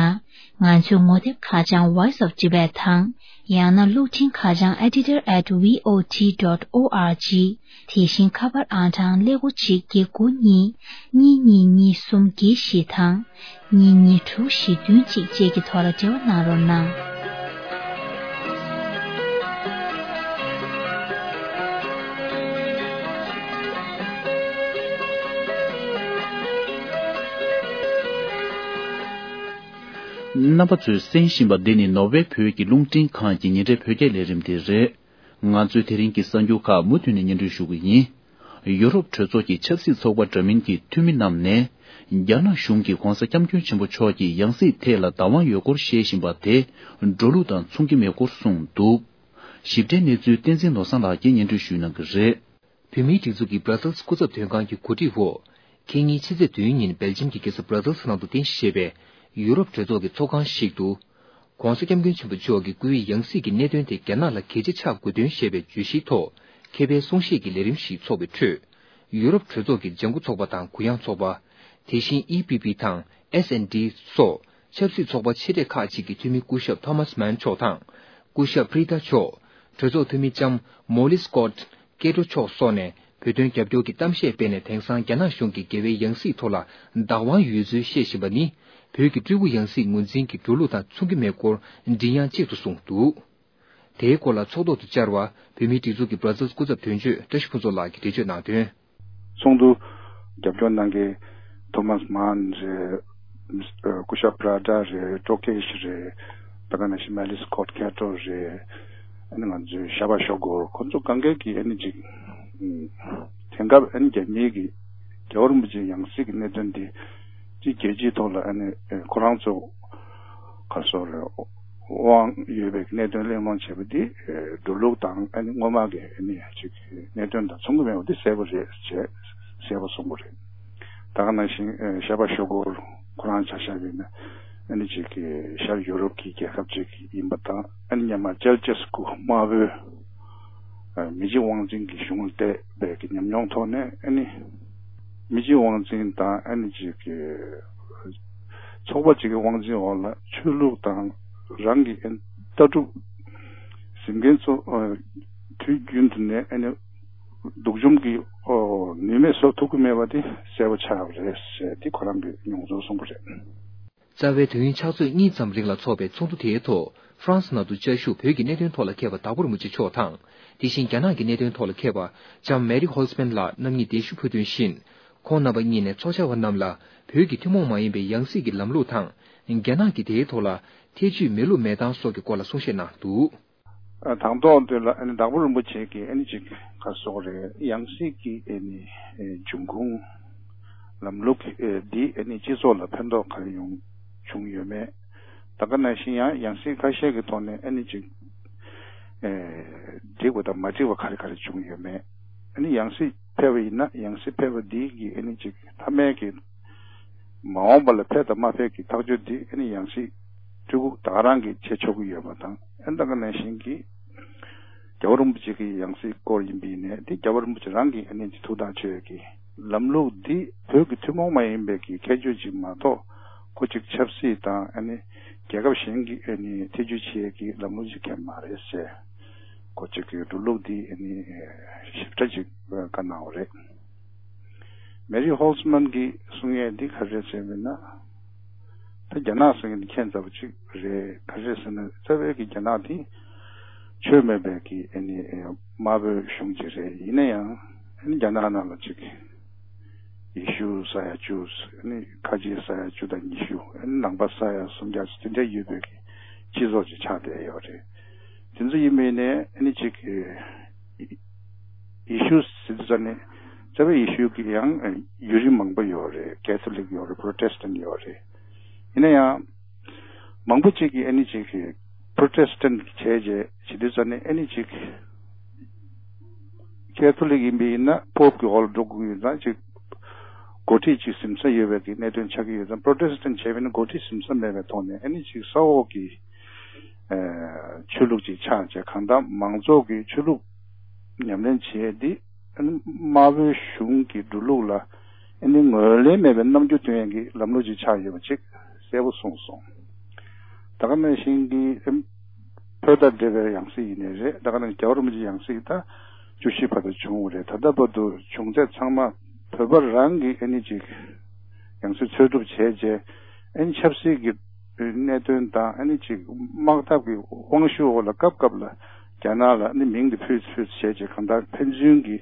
ང་ཚོའི་ངོ་དེབ་ཁ་བྱང་Voice of Tibet དང་། ཡང་ན་གློག་འཕྲིན་ཁ་བྱང་editor at V O T dot O R G། དེ་བཞིན་ཁ་པར་ཨང་གྲངས་ཀླད་ཀོར་གཅིག་བརྒྱད་དགུ་གཉིས་གཉིས་གཉིས་གཉིས་གསུམ་བརྒྱད་བཞི་དང་། གཉིས་གཉིས་དྲུག་བཞི་བདུན་གཅིག་བཅས་ཀྱི་ཐོག་ལ་འབྲེལ་བ་གནང་རོགས་གནང་། རྣམ་པ་ཚོས་གསན་བཞིན་པ་འདི་ནི་ནོར་ཝེ་བོད་ཀྱི་རླུང་འཕྲིན་ཁང་གི་ཉིན་རེའི་བོད་སྐད་ལས་རིམ་དེ་རེད། ང་ཚོའི་དེ་རིང་གི་གསར་འགྱུར་ཁག་མུ་མཐུད་ནས་སྙན་སྒྲོན་ཞུ་གི་ཡིན། ཡུ་རོབ་གྲོས་ཚོགས་ཀྱི་ཆབ་སྲིད་ཚོགས་པ་འདྲ་མིན་གྱི་འཐུས་མི་རྣམས་ནས། རྒྱ་ནག་གཞུང་གིས་༧གོང་ས་༧སྐྱབས་མགོན་ཆེན་པོ་མཆོག་གི་ཡང་སྲིད་ཐད་ལ་བདག་དབང་ཡོད་སྐོར་བཤད་བཞིན་པ་དེ། འགྲོ་ལུགས་དང་མཚུངས་ཀྱི་མེད་སྐོར་གསུངས་འདུག། ཞིབ་ཕྲའི་གནས་ཚུལ་བསྟན་འཛིན་ནོར་བཟང་ལགས་ཀྱིས་སྙན་སྒྲོན་ཞུ་གནང་གི་རེད། བོད་མིའི་སྒྲིག་འཛུགས་ཀྱི་Brussels་སྐུ་ཚབ་དོན་ཁང་གི་གོ་སྒྲིག་འོག་ཁེ་ཉིན་ཕྱི་ཚེས་བདུན་ཉིན་སྦེལ་ཇམ་གྱི་རྒྱལ་ས་Brussels་ནང་དུ་རྟེན་གཞི་བྱས་པའི་ཡུ་རོབ་གྲོས་ཚོགས་ཀྱི་ཚོགས་ཁང་ཞིག་ཏུ། ༸གོང་ས་༸སྐྱབས་མགོན་ཆེན་པོ་མཆོག་གི་སྐུའི་ཡང་སྲིད་ཀྱི་གནད་དོན་དེ་རྒྱ་ནག་ལ་གལ་ཆེ་ཆགས་དགོས་དོན་ཞེས་པའི་བརྗོད་གཞིའི་ཐོག་མཁས་པའི་གསུང་བཤད་ཀྱི་ལས་རིམ་ཞིག་འཚོགས་པའི་ཁྲོད། ཡུ་རོབ་གྲོས་ཚོགས་ཀྱི་ལྗང་ཁུ་ཚོགས་པ་དང་གུ་ཡངས་ཚོགས་པ། དེ་བཞིན་ཨི་པི་པི་དང་ཨེས་ཨེན་ཌི་སོགས་ཆབ་སྲིད་ཚོགས་པ་ཆེ་གྲས་ཁག་ཅིག་གི་འཐུས་མི་སྐུ་ཞབས་ཐོ་མཱས་མན་མཆོག་དང་། སྐུ་ཞབས་པི་རི་ཏཱ་མཆོག་གྲོས་ཚོགས་འཐུས་མི་ལྕམ་མོ་ལི་སྐོད་ཀེ་ཏྲོ་མཆོག་སོགས་ནས་བོད་དོན་རྒྱབ་སྐྱོར་གྱི་གཏམ་བཤད་སྤེལ་ནས་དེང་སང་རྒྱ་ནག་གཞུང་གིས་རྒྱལ་བའི་ཡང་སྲིད་ཐོག་ལ་བདག་དབང་ཡོད་ཚུལ་བཤད་བཞིན་པ་ནི། བོད་ཀྱི་སྤྲུལ་སྐུ་ཡང་སྲིད་ངོས་འཛིན་གྱི་འགྲོ་ལུགས་དང་མཚུངས་ཀྱི་མེད་སྐོར་མགྲིན་དབྱངས་གཅིག་ཏུ་གསུངས་འདུག། དེའི་སྐོར་ལ་ཚོགས་ཐོག་ཏུ་བཅར་བ་བོད་མིའི་སྒྲིག་འཛུགས་ཀྱི་Brussels་སྐུ་ཚབ་དོན་གཅོད་བཀྲ་ཤིས་ཕུན་ཚོགས་ལགས་ཀྱིས་འགྲེལ་བརྗོད་གནང་དོན། ཚོགས་འདུ་རྒྱབ་སྐྱོར་གནང་མཁན་ཐོ་མཱས་མཱན་རེད། སྐུ་ཞབས་པྲ་ཏྲ་རེད། ཀྲོ་ཀེ་ཤི་རེད། ད་ག་ནང་བཞིན་མེ་ལི་སི་ཁོད་ཁེ་ཏྲོ་རེད། ཨ་ནི་ང་ཚོའི་ཤ་བ་ཤོ་གོར་ཁོ་ཚོ་གང་གས་ཀྱིས་ཨ་ནི་ཅིག་དེང་སྐབས་ཨ་ནི་རྒྱ་མིའི་གི་རྒྱལ་བ་རིན་པོ་ཆེའི་ཡང་སྲིད་ཀྱི་གནད་དོན་འདི་ཅིག་རྒྱལ་སྤྱིའི་ཐོག་ལ་ཨ་ནི་ཁོ་རང་ཚོ་ག་སོགས་རེད། དབང་ཡོད་པའི་གནད་དོན་གླེང་སློང་བྱས་པ་འདི་འགྲོ་ལུགས་དང་ཨ་ནི་སྔོན་མ་གི་ཨ་ནི་ཅིག་གནད་དོན་དང་མཚུངས་ཀྱི་མེད་པ་འདི་གསལ་པོ་རེད་ཅེས་གསལ་པོ་གསུངས་པ་རེད། ད་ག་ནང་བཞིན་ཤ་བ་ཤོ་གོར་ཁོ་རང་ཆ་བཞག་པ་ཡིན་ན་ཨ་ནི་ཅིག་གི་ཤར་ཡུ་རོབ་ཀྱི་རྒྱལ་ཁབ་ཅིག་ཡིན་པ་དང་ཨ་ནི་སྔོན་མ་ཅལ་ཅེ་སི་ཀུ་དམར་པོའི་མི་རྗེ་དབང་འཛིན་གྱི་གཞུང་ལ་བལྟས་པའི་གི་ཉམས་མྱོང་ཐོག་ནས་ཨ་ནི་མི་རྗེ་དབང་འཛིན་དང་ཨ་ནི་ཅིག་གི་ཚོགས་པ་ཅིག་གི་དབང་འཛིན་འོག་ལ་ཆོས་ལུགས་དང་རང་གི་ལྟ་གྲུབ་ཟིན་མཁན་ཚོ་དུས་རྒྱུན་དུ་ནས་ཨ་ནི་སྡུག་སྦྱོང་གི་ནུས་མེད་བཟོ་ཐུབ་ཀྱི་མེད་པ་དེ་གསལ་པོ་ཆགས་པ་རེད་ཟེར་དེ་ཁོ་རང་གི་མྱོང་ཚོར་གསུངས་པ་རེད། རྩ་བའི་དུས་ཡུན་ཕྱག་ཚོད་གཉིས་ཙམ་རིང་ལ་འཚོགས་པའི་ཚོགས་འདུ་དེའི་ཐོག་ཧྥ་རན་སི་ནང་དུ་བཅའ་བཞུགས་བོད་ཀྱི་གནད་དོན་ཐོག་ལ་མཁས་པ་དྭགས་པོ་རིན་པོ་ཆེ་མཆོག་དང་། དེ་བཞིན་རྒྱ་ནག་གི་གནད་དོན་ཐོག་ལ་མཁས་པ་ལྕམ་མེ་རི་ཧོལ་ཚ་མན་ལགས་རྣམ་གཉིས་གདན་ཞུ་ཕུལ་དོན་བཞིན། ཁོང་རྣམ་པ་གཉིས་ནས་ཚོགས་བཅར་བ་རྣམས་ལ་བོད་ཀྱི་ཐུན་མོང་མ་ཡིན་པའི་ཡང་སྲིད་ཀྱི་ལམ་ལུགས་དང་། རྒྱ་ནག་གི་དེའི་ཐོག་ལ་ཐེ་བྱུས་མེད་ལུགས་མེད་སྟངས་སོགས་ཀྱི་སྐོར་ལ་གསུང་བཤད་གནང་འདུག། དང་ཐོག་དེ་ལ་ཨ་ནི་དྭགས་པོ་རིན་པོ་ཆེ་གིས་ཨ་ནི་ཅིག་ག་སོགས་རེད། ཡང་སྲིད་ཀྱི་ཨ་ནི་འབྱུང་ཁུངས་ལམ་ལུགས་འདི་ཨ་ནི་སྤྱི་ཚོགས་ལ་ཕན་ཐོགས་ག་རེ་ཡོང་བྱུང་ཡོད་མེད། ད་ག་ནང་བཞིན་ཡང་ཡང་སྲིད་ཁ་ཤས་ཀྱི་ཐོག་ནས་ཨ་ནི་ཅིག་འགྲིག་པ་དང་མ་འགྲིག་པ་ག་རེ་ག་རེ་བྱུང་ཡོད་མེད། ཨ་ནི་ཡང་སྲིད་ཕེབས་པ་ཡིན་ན་ཡང་སྲིད་ཕེབས་པ་འདི་གི་ཨ་ནི་ཅིག་མཐའ་མའི་གི་མ་འོངས་པ་ལ་ཕེབས་དང་མ་ཕེབས་ཀྱི་ཐག་གཅོད་འདི་ཨ་ནི་ཡང་སྲིད་སྤྲུལ་སྐུ་ད་ག་རང་གིས་བྱེད་ཆོག་གི་ཡོད་པ་དང་། ཨ་ནི་ད་ག་ནང་བཞིན་གྱི་རྒྱལ་བ་རིན་པོ་ཆེ་གི་ཡང་སྲིད་སྐོར་ཡིན་པ་ཡིན་ནའི་འདི་རྒྱལ་བ་རིན་པོ་ཆེ་རང་གིས་ཨ་ནི་འདི་ཐུགས་ཐག་ཆོད་ཀྱི་ལམ་ལུགས་འདི་བོད་ཀྱི་ཐུན་མོང་མ་ཡིན་པའི་གི་ཁྱད་ཆོས་ཅིག་མ་གཏོགས་ ཁོ་གཅིག་ཆབ་སྲིད་དང་ཨ་ནི་རྒྱལ་ཁབ་གཞན་གྱི་ཨ་ནི་ཐེ་ཇུས་བྱེད་ཀྱི་ལམ་ལུགས་ཅིག་གང་ཡང་མ་རེད་ཟེར། ཁོ་གཅིག་གི་འགྲོ་ལུགས་འདི་ཨ་ནི་ཞིབ་ཕྲ་ཅིག་བཀའ་གནང་བ་རེད། མེ་རི་ཧོལ་ཙི་མན་གྱིས་གསུང་ཡས་འདི་ག་རེ་ཟེར་བ་ཡིན་ན། ད་རྒྱ་ནག་གསུང་ཡས་འདི་ཁྱད་མཚར་པོ་ཅིག་རེད། ག་རེ་ཟེར་ན་རྩ་བའི་གི་རྒྱ་ནག་འདི་ཆོས་མེད་པའི་གི་ཨ་ནི་དམར་པོའི་གཞུང་ཅིག་རེད། ཡིན་ན་ཡང་ཨ་ནི་རྒྱ་ནག་ནང་ལ་ཅིག་ཡེ་ཤུ་ས་ཡ་བཅུ། ཨ་ནི་ཁ་ཆེ་ས་ཡ་བཅུ་དང་ཉི་ཤུ། ཨ་ནི་ནང་པ་ས་ཡ་སུམ་བརྒྱ་ཅིག་དེ་འདྲ་ཡོད་པའི་གི་སྤྱི་ཚོགས་ཅིག་ཆགས་བསྡད་ཡོད་རེད། དེ་ཚོ་ཡིན་པ་ཡིན་ནའི་ཨ་ནི་ཅིག་ཡེ་ཤུ་ཟེར་དུས་ཙམ་ནས་རྩ་བའི་ཡེ་ཤུ་གི་ཡང་ཡུལ་རིས་མང་པོ་ཡོད་རེད། ཀེ་ཐོ་ལིག་ཡོད་རེད། པྲོ་ཊེ་སི་ཊན་ཡོད་རེད། ཡིན་ན་ཡང་མང་པོ་ཅིག་གིས་ཨ་ནི་ཅིག་པྲོ་ཊེ་སི་ཊན་བྱས་རྗེས་བྱེད་དུས་ཙམ་ནས་ཨ་ནི་ཅིག་ཀེ་ཐོ་ལིག་ཡིན་པ་ཡིན་ན་པོབ་ཀྱི་འོག་ལ་འགྲོ་དགོས་ཡོད་ཙང་ཅིག་འགོ་ཁྲིད་ཅིག་ཟིན་ས་ཡོད་པའི་གི་གནད་དོན་ཆགས་ཀྱི་ཡོད་ཙང་། པྲོ་ཊེ་སི་ཊན་བྱས་པ་ཡིན་ན་འགོ་ཁྲིད་ཟིན་ས་མེད་པའི་ཐོག་ནས་ཨ་ནི་ཅིག་ས་འོག་གི་ཆོས་ལུགས་ཅིག་ཆགས་བྱས། གང་ལྟར་མང་ཚོགས་ཀྱི་ཆོས་ལུགས་ཉམས་ལེན་བྱེད་ཡས་འདི་དམར་པོའི་གཞུང་གི་འགྲོ་ལུགས་ལ་ཨ་ནི་ངོས་ལེན་མེད་པའི་རྣམ་འགྱུར་སྟོན་ཡས་ཀྱི་ལམ་ལུགས་ཅིག་ཆགས་ཡོད་པ་ཅིག་གསལ་པོ་གསུངས་སོང་། ད་ག་ནང་བཞིན་གྱི་བོད་དང་འབྲེལ་བའི་ཡང་སྲིད་ཡིན་ནའི་རེད། ད་ག་ནང་རྒྱལ་བ་རིན་པོ་ཆེའི་ཡང་སྲིད་ད་བཅུ་བཞི་བར་དུ་བྱུང་བ་རེད། ད་ལྟ་བར་དུ་བྱུང་ཚད་ཚང་མ་བོད་པ་རང་གི་ཨ་ནི་ཅིག་ཡང་སྲིད་འཚོལ་སྒྲུབ་བྱས་རྗེས་ཨ་ནི་ཆབ་སྲིད་ཀྱི་གནད་དོན་དང་ཨ་ནི་ཅིག་དམག་འཐབ་ཀྱི་དབང་ཤུགས་འོག་ལ་སྐབས་སྐབས་ལ་རྒྱ་ནག་ལ་ཨ་ནི་མིང་དེ་ཕུད་ཕུད་བྱས་རྗེས་གང་ལྟར་ཕན་ཚུན་གྱི་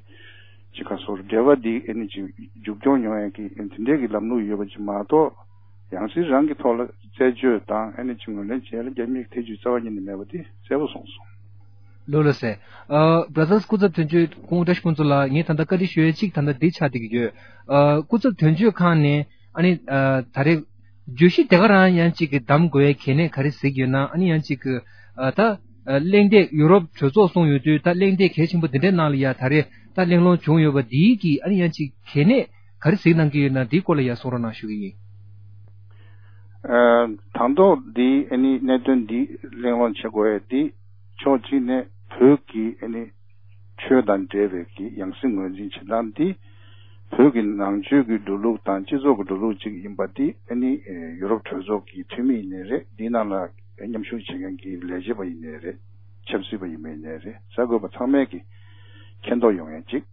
ཅིག་ག་སོར་འབྲེལ་བ་འདི་ཨ་ནི་ཅིག་མཇུག་སྐྱོང་ཡོང་ཡས་ཀྱི་དེ་འདྲའི་གི་ལམ་ལུགས་ཡོད་པ་ཅིག་མ་གཏོགས། ཡང་སྲིད་རང་གི་ཐོག་ལ་རྩད་གཅོད་དང་ཨ་ནི་ཅིག་ངོས་ལེན་བྱེད་ཡ་ལ་རྒྱ་མིའི་ཐེ་ཇུས་རྩ་བ་ཉིད་ནས་མེད་པ་དེ་གསལ་པོ་གསུངས་སོང་། ལགས་ལགས་སེ། ཨ་བྷ་ར་དར་སི་སྐུ་ཚབ་དོན་གཅོད་སྐུ་ངོ་བཀྲ་ཤིས་ཕུན་ཚོགས་ལགས། ངས་ད་ལྟ་བཀའ་འདྲི་ཞུ་ཡ་གཅིག་ད་ལྟ་འདི་ཆགས་བསྡད་ཀྱི་ཡོད། ཨ་སྐུ་ཚབ་དོན་གཅོད་ཁང་ནས་ཨ་ནི་ཨ་ད་རེས་བརྗོད་གཞི་དེ་ག་རང་ཡང་གཅིག་གི་གདམ་དགོས་ཡ་གལ་གནད་ག་རེ་གཟིགས་ཡོད་ན། ཨ་ནི་ཡང་གཅིག་གི་ཨ་ད་ཨ་གླེང་སྟེགས་ཡུ་རོབ་གྲོས་ཚོགས་གསུངས་ཡོད་དུས་ད་གླེང་སྟེགས་གལ་ཆེན་པོ་འདི་འདྲའི་ནང་ལ་ཡ་ད་རེས་ད་གླེང་སློང་བྱུང་ཡོད་པ་འདིའི་གི་ཨ་ནི་ཡང་གཅིག་གལ་གནད་ག་རེ་གཟིགས་གནང་གི་ཡོད་ན་འདིའི་སྐོར་ལ་ཡ་གསུང་རོགས་གནང་ཞུ་གི་ཡིན། ཨ་དང་ཐོག་འདི་ཨ་ནི་གནད་དོན་འདི་གླེང་སློང་བྱེད་དགོས་ཡ་འདི་ཕྱོགས་གཅིག་ནས་བོད་ཀྱི་ཨ་ནི་ཆོས་དང་འབྲེལ་བའི་གི་ཡང་སྲིད་ངོས་འཛིན་བྱེད་སྟངས་འདི་བོད་ཀྱི་ནང་ཆོས་ཀྱི་འགྲོ་ལུགས་དང་སྤྱི་ཚོགས་ཀྱི་འགྲོ་ལུགས་གཅིག་ཡིན་པ་འདི་ཨ་ནི་ཡུ་རོབ་གྲོས་ཚོགས་ཀྱི་འཐུས་མི་ཡིན་ནའི་རེད། འདིའི་ནང་ལ་མཉམ་ཞུགས་བྱེད་མཁན་གྱི་ལས་བྱེད་པ་ཡིན་ནའི་རེད། ཆབ་སྲིད་པ་ཡིན་པ་ཡིན་ནའི་རེད། གསར་འགོད་པ་ཚང་མས་ཀྱི་མཁྱེན་རྟོགས་ཡོང་ཡ་གཅིག་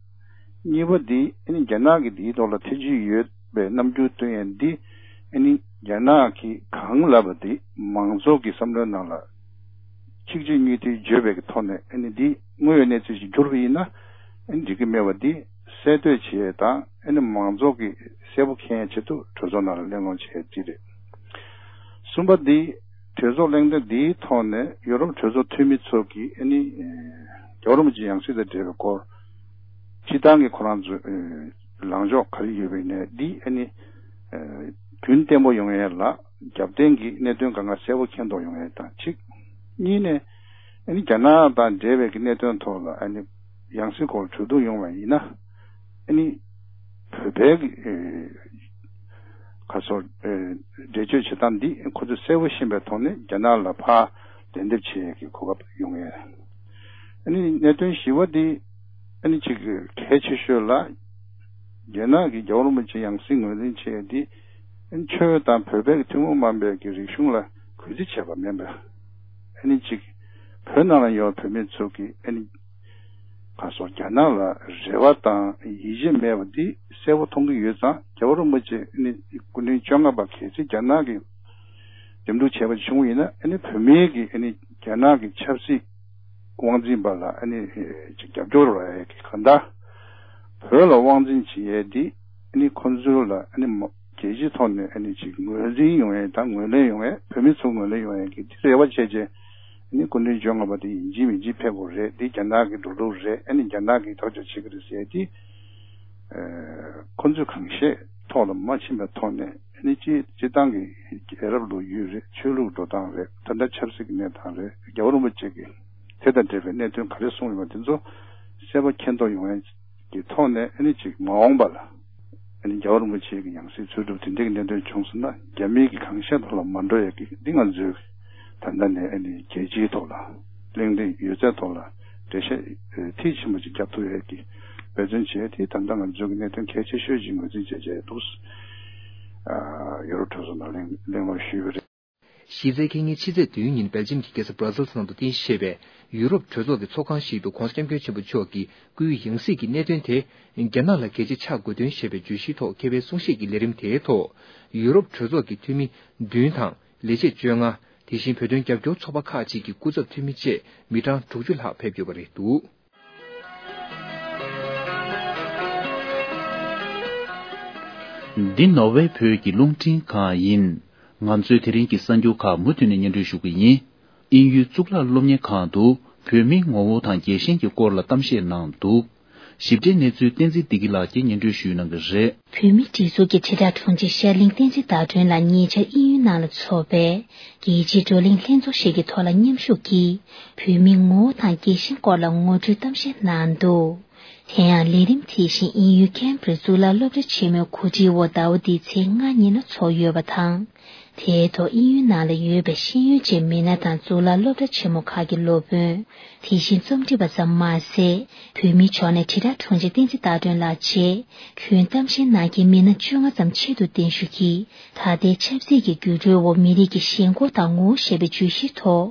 གཉིས་པ་འདི་ཨ་ནི་རྒྱ་ནག་གི་འདིའི་ཐོག་ལ་ཐེ་ཇུས་ཡོད་པའི་རྣམ་འགྱུར་སྟོན་ཡ་འདི་ཨ་ནི་རྒྱ་ནག་གིས་གང་ལབ་པ་འདི་མང་ཚོགས་ཀྱི་བསམ་བློའི་ནང་ལ་གཅིག་གཅིག་གཉིས་མཐུད་བརྗོད་པའི་གི་ཐོག་ནས་ཨ་ནི་འདི་དངོས་ཡོད་གནས་ཚུལ་ཞིག་གྱུར་པ་ཡིན་ན་ཨ་ནི་འགྲིག་གི་མེད་པ་འདི་གསལ་གཏོད་བྱེད་ཡ་དང་ཨ་ནི་མང་ཚོགས་ཀྱི་གསལ་པོ་མཁྱེན་ཡ་ཆེད་དུ་གྲོས་ཚོགས་ནང་ལ་གླེང་སློང་བྱེད་ཡ་འདི་རེད། གསུམ་པ་འདི་གྲོས་ཚོགས་གླེང་སྟེགས་འདིའི་ཐོག་ནས་ཡུ་རོབ་གྲོས་ཚོགས་འཐུས་མི་ཚོ་གིས་ཨ་ནི་རྒྱལ་བ་རིན་པོ་ཆེ་ཡང་སྲིད་དང་འབྲེལ་བའི་སྐོར་སྤྱིར་བཏང་གི་ཁོ་རང་ཚོའི་ལངས་ཕྱོགས་ག་རེ་ཡོད་པ་ཡིན་ནའི་འདི་ཨ་ནི་རྒྱུན་བརྟན་པོ་ཡོང་ཡས་ལ་རྒྱབ་རྟེན་གྱི་གནད་དོན་གང་ག་གསལ་པོ་མཁྱེན་རྟོགས་ཡོང་ཡས་དང་གཅིག་གཉིས་ནས་ཨ་ནི་རྒྱ་ནག་དང་འབྲེལ་བའི་གི་གནད་དོན་ཐོག་ལ་ཨ་ནི་ཡང་སྲིད་སྐོར་གྲོས་བསྡུར་ཡོང་བ་ཡིན་ན་ཨ་ནི་བོད་པའི་གི་ཨེ་ཁ་སོ་ཨེ་འགྲེལ་བརྗོད་བྱེད་སྟངས་འདི་ཁོ་ཚོས་གསལ་པོ་ཤེས་པའི་ཐོག་ནས་རྒྱ་ནག་ལ་ཕར་ལན་འདེབས་བྱེད་ཡས་ཀྱི་གོ་སྐབས་ཡོང་ཡས། ཨ་ནི་གནད་དོན་བཞི་པ་འདི་ཨ་ནི་གཅིག་གལ་ཆེ་ཤོས་ལ་རྒྱ་ནག་གི་རྒྱལ་བ་རིན་པོ་ཆེ་ཡང་སྲིད་ངོས་འཛིན་བྱེད་ཡས་འདི་ཨ་ནི་ཆོས་དང་བོད་པའི་གི་ཐུན་མོང་མ་ཡིན་པའི་གི་རིག་གཞུང་ལ་གུས་བརྩི་བྱས་པ་མིན་པ། ཨ་ནི་གཅིག་བོད་ནང་ལ་ཡོད་བོད་མི་ཚོ་གི་ཨ་ནི་ཁ་སོ་རྒྱ་ནག་ལ་རེ་བ་དང་ཡིད་ཆེས་མེད་པ་འདི་གསལ་པོ་མཐོང་གི་ཡོད་ཙང་རྒྱལ་བ་རིན་པོ་ཆེ་ཨ་ནི་སྐུ་ཕྲེང་བཅོ་ལྔ་པ་གལ་སྲིད་རྒྱ་ནག་གི་འདེམས་སྒྲུག་བྱས་པ་བྱུང་བ་ཡིན་ན་ཨ་ནི་བོད་མིའི་གི་ཨ་ནི་རྒྱ་ནག་གི་ཆབ་སྲིད་དབང་འཛིན་པ་ལ་ཨ་ནི་ཅིག་རྒྱབ་སྐྱོར་རག་ཡས་ཀྱི་གང་ལྟར་བོད་ལ་དབང་འཛིན་བྱེད་ཡས་འདི་ཨ་ནི་ཁོང་ཚོ་ལ་ཨ་ནི་མ་རྒྱལ་སྤྱིའི་ཐོག་ནས་ཨ་ནི་ཅིག་ངོས་འཛིན་ཡོང་ཡས་དང་ངོས་ལེན་ཡོང་ཡས་བོད་མི་ཚོ་ངོས་ལེན་ཡོང་ཡས་ཀྱི་འདི་རེ་བ་བྱས་རྗེས་ཨ་ནི་སྐུ་ཕྲེང་བཅོ་ལྔ་པ་དེ་ཡིན་གཅིག་མིན་གཅིག་ཕེབས་དགོས་རེད། འདི་རྒྱ་ནག་གི་འགྲོ་ལུགས་རེད། ཨ་ནི་རྒྱ་ནག་གིས་ཐག་གཅོད་བྱེད་ཀྱི་རེད་ཟེར་ཡས་འདི་ཁོང་ཚོས་གང་ཤེས་ཐོག་ལ་མ་ཕྱིན་པའི་ཐོག་ནས་ཨ་ནི་སྤྱི་སྤྱིར་བཏང་གི་རྒྱལ་རབས་ལོ་རྒྱུས་རེད། ཆོས་ལུགས་འགྲོ་སྟངས་རེད། ད་ལྟ་ཆབ་སྲིད་ཀྱི་གནས་སྟངས་རེད། རྒྱལ་བ་རིན་པོ་ཆེ་གིས་དེ་དང་འབྲེལ་བའི་གནད་དོན་ག་རེ་གསུངས་ཡོད་པ་དེ་ཚོ་གསལ་པོ་མཁྱེན་རྟོགས་ཡོང་ཡས་ཀྱི་ཐོག་ནས་ཨ་ནི་ཅིག་མ་འོངས་པ་ལ་ཨ་ནི་རྒྱལ་བ་རིན་པོ་ཆེ་གི་ཡང་སྲིད་འཚོལ་སྒྲུབ་དེ་འདྲའི་གི་གནད་དོན་བྱུང་སོང་ན་རྒྱ་མིའི་གི་གང་ཤེས་ཐོག་ལ་མ་འགྲོ་ཡས་ཀྱི་འདི་ང་ཚོའི་ད་ལྟ་ནས་ཨ་ནི་རྒྱལ་སྤྱིའི་ཐོག་ལ་གླེང་སྟེགས་ཡོད་ཚད་ཐོག་ལ་འགྲེལ་བཤད་མཐིལ་ཕྱིན་པ་ཅིག་རྒྱབ་ཐུབ་ཡས་ཀྱི་འབད་བརྩོན་བྱས་ཏེ་ད་ལྟ་ང་ཚོའི་གི་གནད་དོན་གལ་ཆེ་ཤོས་ཅིག་ངོས་འཛིན་བྱས་བྱས་འདུག་ཡུ་རོབ་གྲོས་ཚོགས་ནང་གླེང་གླེང་སློང་ཞུས་པ་རེད། གཞི་རྩའི་ཁེ་ཉིན་ཕྱི་ཚེས་བདུན་ཉིན་སྦེལ་ཇམ་གྱི་རྒྱལ་ས་Brussels ནང་དུ་རྟེན་གཞི་བྱས་པའི་ཡུ་རོབ་གྲོས་ཚོགས་ཀྱི་ཚོགས་ཁང་ཞིག་ཏུ་༧གོང་ས་༧སྐྱབས་མགོན་ཆེན་པོ་མཆོག་གིས་སྐུའི་ཡང་སྲིད་ཀྱི་གནད་དོན་དེ་རྒྱ་ནག་ལ་གལ་ཆེ་ཆགས་དགོས་དོན་ཞེས་པའི་བརྗོད་གཞིའི་ཐོག་མཁས་པའི་གསུང་བཤད་ཀྱི་ལས་རིམ་དེའི་ཐོག་ཡུ་རོབ་གྲོས་ཚོགས་ཀྱི་འཐུས་མི་བདུན་དང་ལས་བྱེད་བཅོ་ལྔ། དེ་བཞིན་བོད་དོན་རྒྱབ་སྐྱོར་ཚོགས་པ་ཁག་ཅིག་གི་སྐུ་ཚབ་འཐུས་མི་བཅས་མི་གྲངས་དྲུག་ཅུ་ལྷག་ཕེབས་ཡོད་པ་རེད་འདུག། འདི་ནོར་ཝེ་བོད་ཀྱི་རླུང་འཕྲིན་ཁང་ཡིན། ང་ཚོའི་དེ་རིང་གི་གསར་འགྱུར་ཁག་མུ་མཐུད་ནས་སྙན་སྒྲོན་ཞུ་གི་ཡིན། དབྱིན་ཡུལ་གཙུག་ལག་སློབ་གཉེར་ཁང་དུ་བོད་མིའི་ངོ་བོ་དང་རྒྱལ་ཞེན་གྱི་སྐོར་ལ་གཏམ་བཤད་གནང་འདུག། ཞིབ་ཕྲའི་གནས་ཚུལ་བསྟན་འཛིན་བདེ་སྐྱིད་ལགས་ཀྱིས་སྙན་སྒྲོན་ཞུ་གནང་གི་རེད། བོད་མིའི་སྒྲིག་འཛུགས་ཀྱི་དྲིལ་བསྒྲགས་དྲུང་ཆེ་ཤར་གླིང་བསྟན་འཛིན་ཟླ་སྒྲོན་ལགས་ཉེ་ཆར་དབྱིན་ཡུལ་ནང་ལ་འཚོགས་པའི་རྒྱལ་སྤྱིའི་བགྲོ་གླེང་ལྷན་ཚོགས་ཤིག་གི་ཐོག་ལ་མཉམ་ཞུགས་ཀྱིས་བོད་མིའི་ངོ་བོ་དང་རྒྱལ་ཞེན་སྐོར་ལ་ངོ་སྤྲོད་གཏམ་བཤད་གནང་འདུག། དེ་ཡང་ལས་རིམ་དེ་བཞིན་དབྱིན་ཡུལ་ཁེམ་བྷྲི་གཙུག་ལག་སློབ་གྲྭ་ཆེན་མོའི་གོ་སྒྲིག་འོག་ཟླ་བ་འདིའི་ཚེས་ལྔ་ཉིན་ལ་འཚོགས་ཡོད་པ་དང་། དེའི་ཐོག་དབྱིན་ཡུལ་ནང་ལ་ཡོད་པའི་ཤེས་ཡོན་ཅན་མི་སྣ་དང་གཙུག་ལག་སློབ་གྲྭ་ཆེན་མོ་ཁག་གི་སློབ་དཔོན། དེ་བཞིན་རྩོམ་སྒྲིག་པ་ཙམ་མ་ཟད། བོད་མིའི་ཕྱོགས་ནས་དྲིལ་བསྒྲགས་དྲུང་ཆེ་བསྟན་འཛིན་ཟླ་སྒྲོན་ལགས་བཅས། ཁྱོན་གཏམ་བཤད་གནང་མཁན་མི་སྣ་བཅོ་ལྔ་ཙམ་ཆེད་དུ་གདན་ཞུ་གིས། ད་ལྟའི་ཆབ་སྲིད་ཀྱི་འགྱུར་འགྲོས་འོག་མི་རིགས་ཀྱི་ཞེན་ཁོག་དང་ངོ་བོ་ཞེས་པའི་བརྗོད་གཞིའི་ཐོག་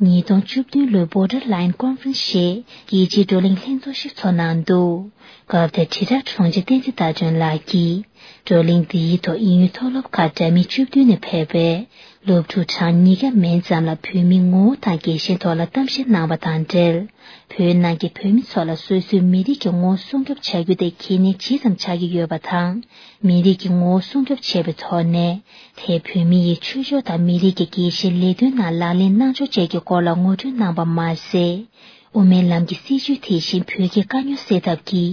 ཉིས་སྟོང་བཅུ་བདུན་ལོའི་Borderline Conference ཞེས་རྒྱལ་སྤྱིའི་བགྲོ་གླེང་ལྷན་ཚོགས་ཤིག་ཚོགས་གནང་འདུག། སྐབས་དེར་དྲིལ་བསྒྲགས་དྲུང་ཆེ་བསྟན་འཛིན་ཟླ་སྒྲོན་ལགས་ཀྱིས། བགྲོ་གླེང་འདིའི་ཐོག་དབྱིན་ཡུལ་མཐོ་སློབ་ཁག་འདྲ་མིན་བཅུ་བདུན་ནས་ཕེབས་པའི་སློབ་ཕྲུག་གྲངས་ཉིས་བརྒྱ་མན་ཙམ་ལ་བོད་མིའི་ངོ་བོ་དང་རྒྱལ་ཞེན་ཐོག་ལ་གཏམ་བཤད་གནང་བ་དང་འབྲེལ། བོད་ནང་གི་བོད་མི་ཚོ་ལ་སོ་སོའི་མི་རིགས་ཀྱི་ངོ་བོ་སྲུང་སྐྱོབ་བྱ་རྒྱུ་དེ་གལ་གནད་ཇི་ཙམ་ཆགས་ཀྱི་ཡོད་པ་དང་། མི་རིགས་ཀྱི་ངོ་བོ་སྲུང་སྐྱོབ་བྱས་པའི་ཐོག་ནས། དེས་བོད་མི་ཡི་ཆོས་ཕྱོགས་དང་མི་རིགས་ཀྱི་རྒྱལ་ཞེན་ལས་དོན་ནང་ལག་ལེན་གནང་ཕྱོགས་བཅས་ཀྱི་སྐོར་ལ་ངོ་སྤྲོད་གནང་བ་མ་ཟད། དབུ་མའི་ལམ་གྱི་སྲིད་བྱུས་དེ་བཞིན་བོད་ཀྱི་དཀའ་རྙོག་སེལ་ཐབས་ཀྱི་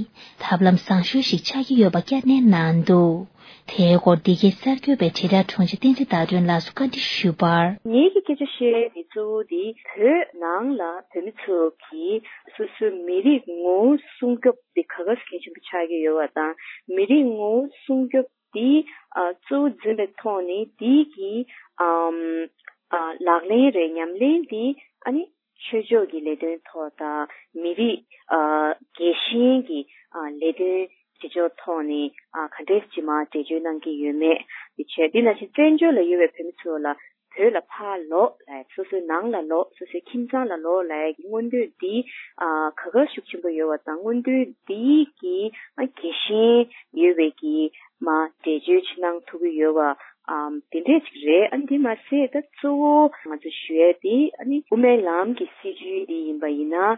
ཐབས་ལམ་བཟང་ཤོས་ཤིག་ཆགས་ཀྱི་ཡོད་པ་བསྐྱར་ནན་གནང་འདུག། དེའི་སྐོར་འདི་གའི་གསར་འགོད་པས་དྲིལ་བསྒྲགས་དྲུང་ཆེ་བསྟན་འཛིན་ཟླ་སྒྲོན་ལགས་སུ་བཀའ་འདྲི་ཞུས་པར། ངེད་ཀྱི་སྐད་ཆ་བཤད་དེ་གཙོ་བོ་དེ་བོད་ནང་ལ་བོད་མི་ཚོ་གིས་སོ་སོའི་མི་རིགས་ངོ་བོ་སྲུང་སྐྱོབ་དེ་ག་ག་ཟེ་གལ་ཆེན་པོ་ཆགས་ཀྱི་ཡོད་པ་དང་། མི་རིགས་ངོ་བོ་སྲུང་སྐྱོབ་དེ་ཨ་གཙོ་བོ་འཛིན་པའི་ཐོག་ནས་དེ་གི་ཨམ་ཨ་ལག་ལེན་རེད། ཉམས་ལེན་དེ་ཨ་ནི་ཆོས་ཕྱོགས་ཀྱི་ལས་དོན་ཐོག་དང་མི་རིགས་ཨ་རྒྱལ་ཞེན་གྱི་ཨ་ལས་དོན་བྱེད་ཕྱོགས་ཐོག་ནས་ཨ་ག་འདྲས་ཅིག་མར་འགྲེལ་བརྗོད་གནང་གི་ཡོད་མེད་དེ་བྱས། དེ་ནང་བཞིན་བཙན་བྱོལ་ལ་ཡོད་པའི་བོད་མི་ཚོ་ལ་བོད་ལ་ཕར་ལོག་ལབ། སོ་སོའི་ནང་ལ་ལོག་སོ་སོའི་ཁྱིམ་ཚང་ལ་ལོག་ལབ་ཀྱི་མངོན་འདོད་འདི་ཨ་ག་ག་ཤུགས་ཆེན་པོ་ཡོད་པ་དང་། མངོན་འདོད་འདི་གི་ཨ་རྒྱལ་ཞེན་ཡོད་པའི་གི་མར་འགྲེལ་བརྗོད་ཅིག་གནང་ཐུབ་ཀྱི་ཡོད་པ། ཨམ་དེ་འདྲས་ཅིག་རེད། ཨ་ནི་དེ་མ་ཟད་ད་གཙོ་བོ་ང་ཚོ་ཞུ་ཡས་དེ་ཨ་ནི་དབུ་མའི་ལམ་གྱི་སྲིད་བྱུས་འདི་ཡིན་པ་ཡིན་ན།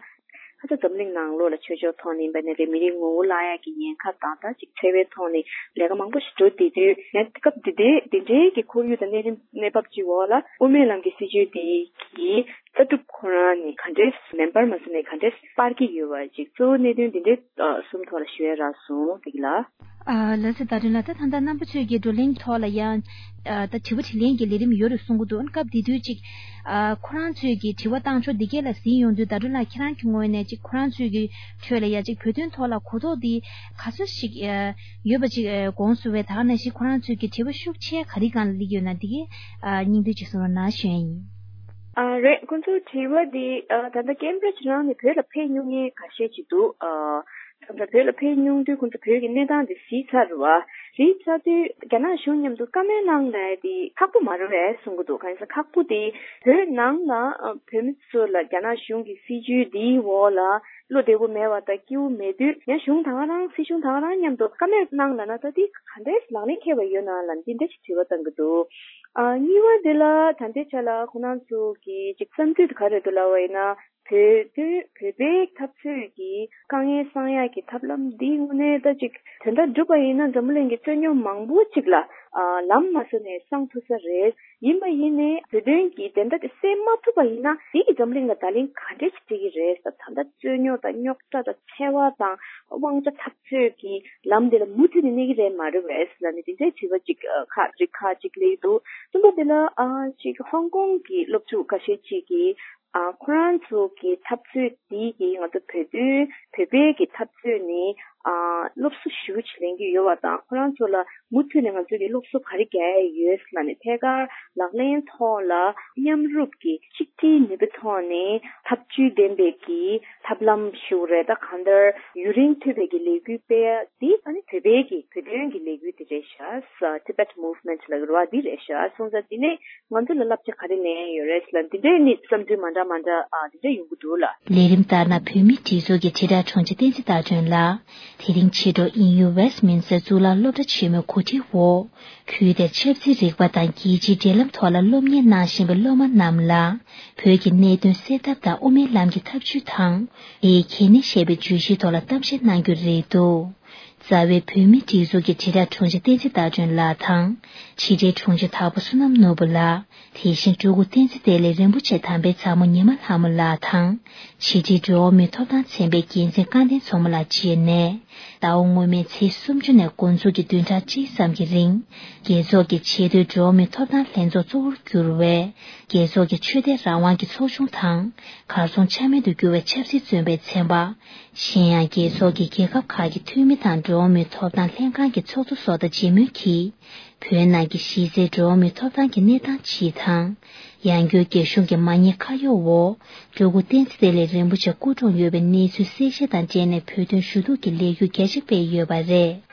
ཁ་ཚ་འཛམ་གླིང་ནང་ལོགས་ལ་ཆོས་ཕྱོགས་ཐོག་ནས་ཡིན་པ་ནས་རེད། མི་རིགས་ངོ་བོ་བརླག་ཡག་གི་ཉེན་ཁ་དང་ད་ཅིག་འཚེ་བའི་ཐོག་ནས་ལས་ཀ་མང་པོ་ཞིག་འགྲོ་བསྡད་དུས། ཡང་སྐབས་འདི་འདྲའི་འདི་འདྲའི་གི་ཁོར་ཡུག་དང་གནས་རིམ་གནས་བབ་ཅིག་འོག་ལ་དབུ་མའི་ལམ་གྱི་སྲིད་བྱུས་དེ་གི་ལྟ་གྲུབ་ཁོ་རང་ནས་ག་འདྲས་མེ་འབར་མ་ཟིན་ནས་ག་འདྲས་སྤར་གྱི་ཡོད་པ་ཅིག་གཙོ་བོ་གནད་དོན་འདི་འདྲའི་གསུམ་ཐོག་ལ་ཞུ་ཡ་རག་སོང་། བདེ་སྐྱིད་ལགས། ཨ་ལགས་སོ། ཟླ་སྒྲོན་ལགས། ད་ད་ལྟ་རྣམ་པ་ཚོས་ཀྱི་བགྲོ་གླེང་ཐོག་ལ་ཡང་ཨ་ད་དྲི་བ་དྲིས་ལན་གྱི་ལས་རིམ་ཡོད་རེད་གསུང་གི་འདུག། ཨ་ནི་སྐབས་དེ་དུས་ཅིག་ཨ་ཁོ་རང་ཚོས་ཀྱི་དྲི་བ་བཏང་ཕྱོགས་འདི་གས་ལ་གཟིགས་ཡོང་དུས། ཟླ་སྒྲོན་ལགས་ཁྱེད་རང་གི་ངོས་ནས་ཅིག་ཁོ་རང་ཚོས་ཀྱི་ཁྲོད་ལ་ཡ་ཅིག་བོད་དོན་ཐོག་ལ་གོ་རྟོགས་འདི་ག་ཚོད་ཞིག་ཨ་ཡོད་པ་ཅིག་ཨ་དགོངས་སུ་བས། ད་ག་ནང་བཞིན་ཁོ་རང་ཚོས་ཀྱི་དྲི་བ་ཤུགས་ཆེ་ག་རེ་སྒང་ལ་སླེབས་ཡོད་ན་འདི་གས་ཨ་སྙིང་བསྡུས་ཅིག་གསུང་རོགས་གནང་ཞུ་ཡ་ཡིན། ཨ་རེད། ཁོང་ཚོའི་དྲི་བ་འདི་ཨ་ད་ལྟ་ཀེམ་བྷྲིཇ་རང་ནས་བོད་ལ་ཕེབས་མྱོང་མཁན་ཁ་ཤས་ཅིག་འདུག། ཨ་ད་ལྟ་བོད་ལ་ཕེབས་མྱོང་དུས་ཁོང་ཚོ་བོད་ཀྱི་གནས་སྟངས་དེ་གཟིགས་ཚར་རེད་བ། གཟིགས་ཚར་དུས་རྒྱ་ནག་གཞུང་མཉམ་དུ་བཀའ་མོལ་གནང་ལབ་དེ་ཁག་པོ་མ་རེད་པས་གསུང་གི་འདུག། གང་ཡིན་ཟེར་ན་ཁག་པོ་དེ་བོད་ནང་ལ་ཨ་བོད་མི་ཚོ་ལ་རྒྱ་ནག་གཞུང་གི་སྲིད་བྱུས་འདིའི་འོག་ལ་བློ་བདེ་པོ་མེད་པ་དང་སྐྱིད་པོ་མེད་དུས། ཡང་གཞུང་ད་ག་རང་སྲིད་གཞུང་ད་ག་རང་མཉམ་དུ་བཀའ་མོལ་གནང་ལབ་ན་ད་དེ་ག་འདྲས་ལག་ལེན་འཁེལ་བ་ཡོད་ན་ལབ་འདི་འདྲ་ཞིག་དྲི་བ་བཏང་གི་འདུག། ཨ་གཉིས་པ་དེ་ལ་ད་ལྟའི་ཆ་ལ་ཁོང་རྣམ་ཚོ་གི་ཅིག་བསམ་ཚུལ་དེ་ག་རེ་འདུག་ལབ་པ་ཡིན་ན། བོད་དོན་བོད་པའི་འཐབ་རྩོད་ཀྱི་དཀའ་ངལ་སངས་ཡག་གི་ཐབས་ལམ་འདི་དངོས་གནས་ད་ཅིག་དོན་དག་བསྒྲུབས་པ་ཡིན་ན་འཛམ་བུ་གླིང་གི་རྩོད་རྙོག་མང་པོ་ཅིག་ལ་ཨ་ལམ་མ་སོན་ནས་སངས་ཐུབ་ས་རེད། ཡིན་པ་ཡིན་ནའི་བོད་དོན་གྱི་བདེན་མཐའ་དེ་གསལ་མ་ཐུབ་པ་ཡིན་ན་དེ་གིས་འཛམ་བུ་གླིང་ལ་བརྡ་ལན་ག་འདྲས་ཅིག་སྤྲད་ཀྱི་རེད་ཟེར། ད་ལྟ་རྩོད་རྙོག་དང་རྙོག་དྲ་དང་འཚེ་བ་དང་དབང་ཆ་འཐབ་རྩོད་ཀྱི་ལམ་དེ་ལ་མུ་མཐུད་ནས་གནས་ཀྱི་རེད་མ་རེད་པས་ལབ་ནས་དེ་འདྲའི་དྲི་བ་ཅིག་ཨ་ཁག་རིགས་ཁག་ཅིག་སླེབས་འདུག། གསུམ་པ་དེ་ལ་ཨ་ཅིག་ཧོང་ཀོང་གི་སློབ་ཕྲུག་ཁ་ཤས་ཅིག་གིས། ཨ་ཁོ་རང་ཚོ་གི་འཐབ་རྩོད་འདི་གི་ང་ཚོ་བོད་དོན་བོད་པའི་གི་འཐབ་རྩོད་ནི་ ཨ་སློབ་གསོ་ཞེ་པོ་ཅིག་ལེན་གྱི་ཡོད་པ་དང་། ཁོ་རང་ཚོ་ལ་མུ་མཐུད་ནས་ང་ཚོས་ཀྱི་སློབ་གསོ་ག་རེ་རྒྱག་ཡ་ཡོད་ལབ་ནས། ཐད་ཀར་ལག་ལེན་ཐོག་ལ་མཉམ་རུབ་ཀྱིས་གཅིག་སྒྲིལ་ནུས་པའི་ཐོག་ནས་ཐབས་ཇུས་ལྡན་པའི་གི་ཐབས་ལམ་ཞིག་རེད། ད་གང་ལྟར་ཡུན་རིང་ཐོན་པའི་གི་ལས་འགུལ་སྤེལ་ཡ་འདི་ཨ་ནི་བོད་པའི་གི་བོད་དོན་གྱི་ལས་འགུལ་དེ་རེད་ཤག Tibet Movement ལབ་ཀྱི་རེད་བ། འདི་རེད་ཤག་སོང་ཙང་འདི་ནས་ང་ཚོ་ལ་བསླབ་བྱ་ག་རེ་ལེན་ཡ་ཡོད་རེད་ལབ། འདི་འདྲའི་ནི་བསམ་ཚུལ་མ་འདྲ་མ་འདྲ་ཨ་འདི་འདྲ་ཡོང་གི་འདུག་ལ། ལས་རིམ་ལྟར་ན། བོད་མིའི་སྒྲིག་འཛུགས་ཀྱི་དྲིལ་བསྒྲགས་དྲུང་ཆེ་བསྟན་འཛིན་ཟླ་སྒྲོན་ལགས། དེ་རིང་ཕྱི་དྲོ་དབྱིན་ཡུལ་Westminster གཙུག་ལག་སློབ་གྲྭ་ཆེན་མོའི་གོ་སྒྲིག་འོག་ཁུལ་དེར་ཆབ་སྲིད་རིག་པ་དང་རྒྱལ་སྤྱིའི་འབྲེལ་ལམ་ཐོག་ལ་སློབ་གཉེར་གནང་བཞིན་པའི་སློབ་མ་རྣམས་ལ་བོད་ཀྱི་གནད་དོན་སེལ་ཐབས་དང་དབུ་མའི་ལམ་གྱི་ཐབས་ཇུས་དང་། དེའི་གལ་གནད་ཞེས་པའི་བརྗོད་གཞིའི་ཐོག་ལ་གཏམ་བཤད་གནང་རྒྱུ་རེད་འདུག་རྩ་བའི་བོད་མིའི་སྒྲིག་འཛུགས་ཀྱི་དྲིལ་བསྒྲགས་དྲུང་ཆེ་བསྟན་འཛིན་ཟླ་སྒྲོན་ལགས་དང་། ཕྱི་དྲིལ་དྲུང་ཆེ་དྭགས་པོ་བསོད་ནམས་ནོར་བུ་ལགས། དེ་བཞིན་སྤྲུལ་སྐུ་བསྟན་འཛིན་བདེ་ལེགས་རིན་པོ་ཆེ་དམ་པའི་ཚ་མོ་ཉི་མ་ལྷ་མོ་ལགས་དང་། ཕྱི་དྲིལ་འགྲོ་བ་མིའི་ཐོབ་ཐང་ཚན་པའི་འགན་འཛིན་སྐལ་ལྡན་མཚོ་མོ་ལགས་བཅས་ནས། ཟླ་བ་སྔོན་མའི་ཚེས་སུམ་ཅུ་ནས་འགོ་འཛུགས་ཀྱིས་བདུན་ཕྲག་གཅིག་ཙམ་གྱི་རིང་། རྒྱལ་ཚོགས་ཀྱི་ཆེས་མཐོའི་འགྲོ་བ་མིའི་ཐོབ་ཐང་ལྷན་ཚོགས་གཙོ་བོར་གྱུར་བའི་རྒྱལ་ཚོགས་ཀྱི་ཆོས་དད་རང་དབང་གི་ཚོགས་ཆུང་དང་། གར་སོང་ཆ་མེད་དུ་གྱུར་བའི་ཆབ་སྲིད་བཙོན་པའི་ཚན་པ། གཞན་ཡང་རྒྱལ་ཚོགས་ཀྱི་རྒྱལ་ཁབ་ཁག་གི་འཐུས་མི་དང་འགྲོ་བ་མིའི་ཐོབ་ཐང་ལྷན་ཁང་གི་ཚོགས་གཙོ་སོགས་དང་མཇལ་མོལ་གྱིས། བོད་ནང་གི་གཞི་རྩའི་འགྲོ་བ་མིའི་ཐོབ་ཐང་གི་གནས་སྟངས་སྤྱི་དང་། ཡང་སྒོས་རྒྱ་གཞུང་གི་མ་ཉེས་ཁ་གཡོགས་འོག་སྤྲུལ་སྐུ་བསྟན་འཛིན་བདེ་ལེགས་རིན་པོ་ཆེ་སྐུ་གྲོངས་ཡོད་པའི་གནས་ཚུལ་གསལ་བཤད་དང་འབྲེལ་ནས་བོད་དོན་ཞུ་གཏུག་གི་ལས་འགུལ་རྒྱ་ཆེ་སྤེལ་ཡོད་པ་རེད།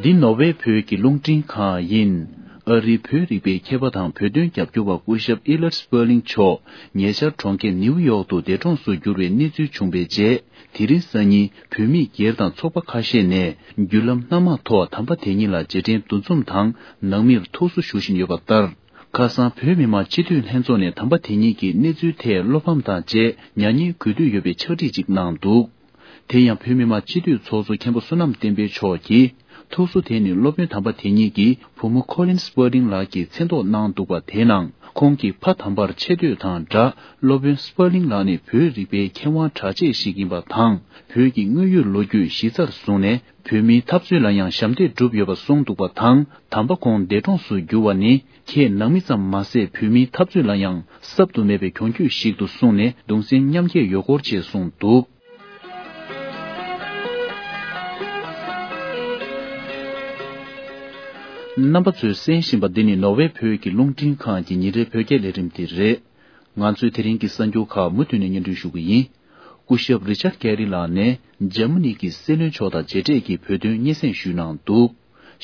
འདི་ནོར་ཝེ་བོད་ཀྱི་རླུང་འཕྲིན་ཁང་ཡིན། ཨ་རིའི་བོད་རིག་པའི་མཁས་པ་དང་བོད་དོན་རྒྱབ་སྐྱོར་བ་སྐུ་ཞབས་ཨི་ལར་སྤར་ལིང་མཆོག་ཉེ་ཆར་གྲོང་ཁྱེར་ནིའུ་ཡོག་ཏུ་འདས་གྲོངས་སུ་གྱུར་བའི་གནས་ཚུལ་བྱུང་བའི་རྗེས། དེ་རིང་སང་ཉིན་བོད་མི་སྒེར་དང་ཚོགས་པ་ཁ་ཤས་ནས་བརྒྱུད་ལམ་སྣ་མང་ཐོག་དམ་པ་དེ་ཉིད་ལ་རྗེས་དྲན་འདུ་འཛོམས་དང་ནང་མིར་ཐུགས་གསོ་ཞུ་བཞིན་ཡོད་པ་ལྟར། ཁ་སང་བོད་མི་མང་སྤྱི་འཐུས་ལྷན་ཚོགས་ནས་དམ་པ་དེ་ཉིད་ཀྱི་གནས་ཚུལ་ཐད་བློ་ཕམ་དང་བཅས་མྱ་ངན་གུས་འདུད་ཡོད་པའི་ཕྱག་བྲིས་ཅིག་གནང་འདུག་དེ་ཡང་བོད་མི་མང་སྤྱི་འཐུས་ཚོགས་གཙོ་མཁན་པོ་བསོད་ནམས་བསྟན་འཕེལ་མཆོག་གིས། ཐུགས་གསོ་དེ་ནི་སློབ་དཔོན་དམ་པ་དེ་ཉིད་ཀྱིས་བུ་མོ་ཁོ་ལིན་སྤར་ལིང་ལགས་ཀྱིས་མཚན་འདོགས་གནང་འདུག་པ། དེ་ནང་ཁོང་གི་ཕ་དམ་པར་ཆེ་བསྟོད་དང་སྦྲགས། སློབ་དཔོན་སྤར་ལིང་ལགས་ནི་བོད་རིག་པའི་མཁས་དབང་གྲགས་ཆེ་ཞིག་ཡིན་པ་དང་། བོད་ཀྱི་དངོས་ཡོད་ལོ་རྒྱུས་གཞི་རྩར་བཟུང་ནས། བོད་མིའི་འཐབ་རྩོད་ལ་ཡང་ཞབས་འདེགས་བསྒྲུབས་ཡོད་པ་གསུངས་འདུག་པ་དང་། དམ་པ་ཁོང་འདས་གྲོངས་སུ་གྱུར་བ་ནི། ཁྱེད་ནང་མི་ཙམ་མ་ཟད། བོད་མིའི་འཐབ་རྩོད་ལ་ཡང་གསབ་ཏུ་མེད་པའི་གྱོང་གུད་ཞིག་ཏུ་བཟུང་ནས། གདུང་སེམས་མཉམ་སྐྱེད་ཡོད་སྐོར་བཅས་གསུངས་འདུག་རྣམ་པ་ཚོས་གསན་བཞིན་པ་འདི་ནི་ནོར་ཝེ་བོད་ཀྱི་རླུང་འཕྲིན་ཁང་གི་ཉིན་རེའི་བོད་སྐད་ལས་རིམ་དེ་རེད། ང་ཚོའི་དེ་རིང་གི་གསར་འགྱུར་ཁག་མུ་མཐུད་ནས་སྙན་སྒྲོན་ཞུ་གི་ཡིན། སྐུ་ཞབས་རི་ཅར་ཌ་ཀེ་རི་ལགས་ནས་འཇར་མ་ནི་གི་སྲིད་བློན་མཆོག་དང་མཇལ་འཕྲད་ཀྱིས་བོད་དོན་སྙན་སེང་ཞུས་གནང་འདུག་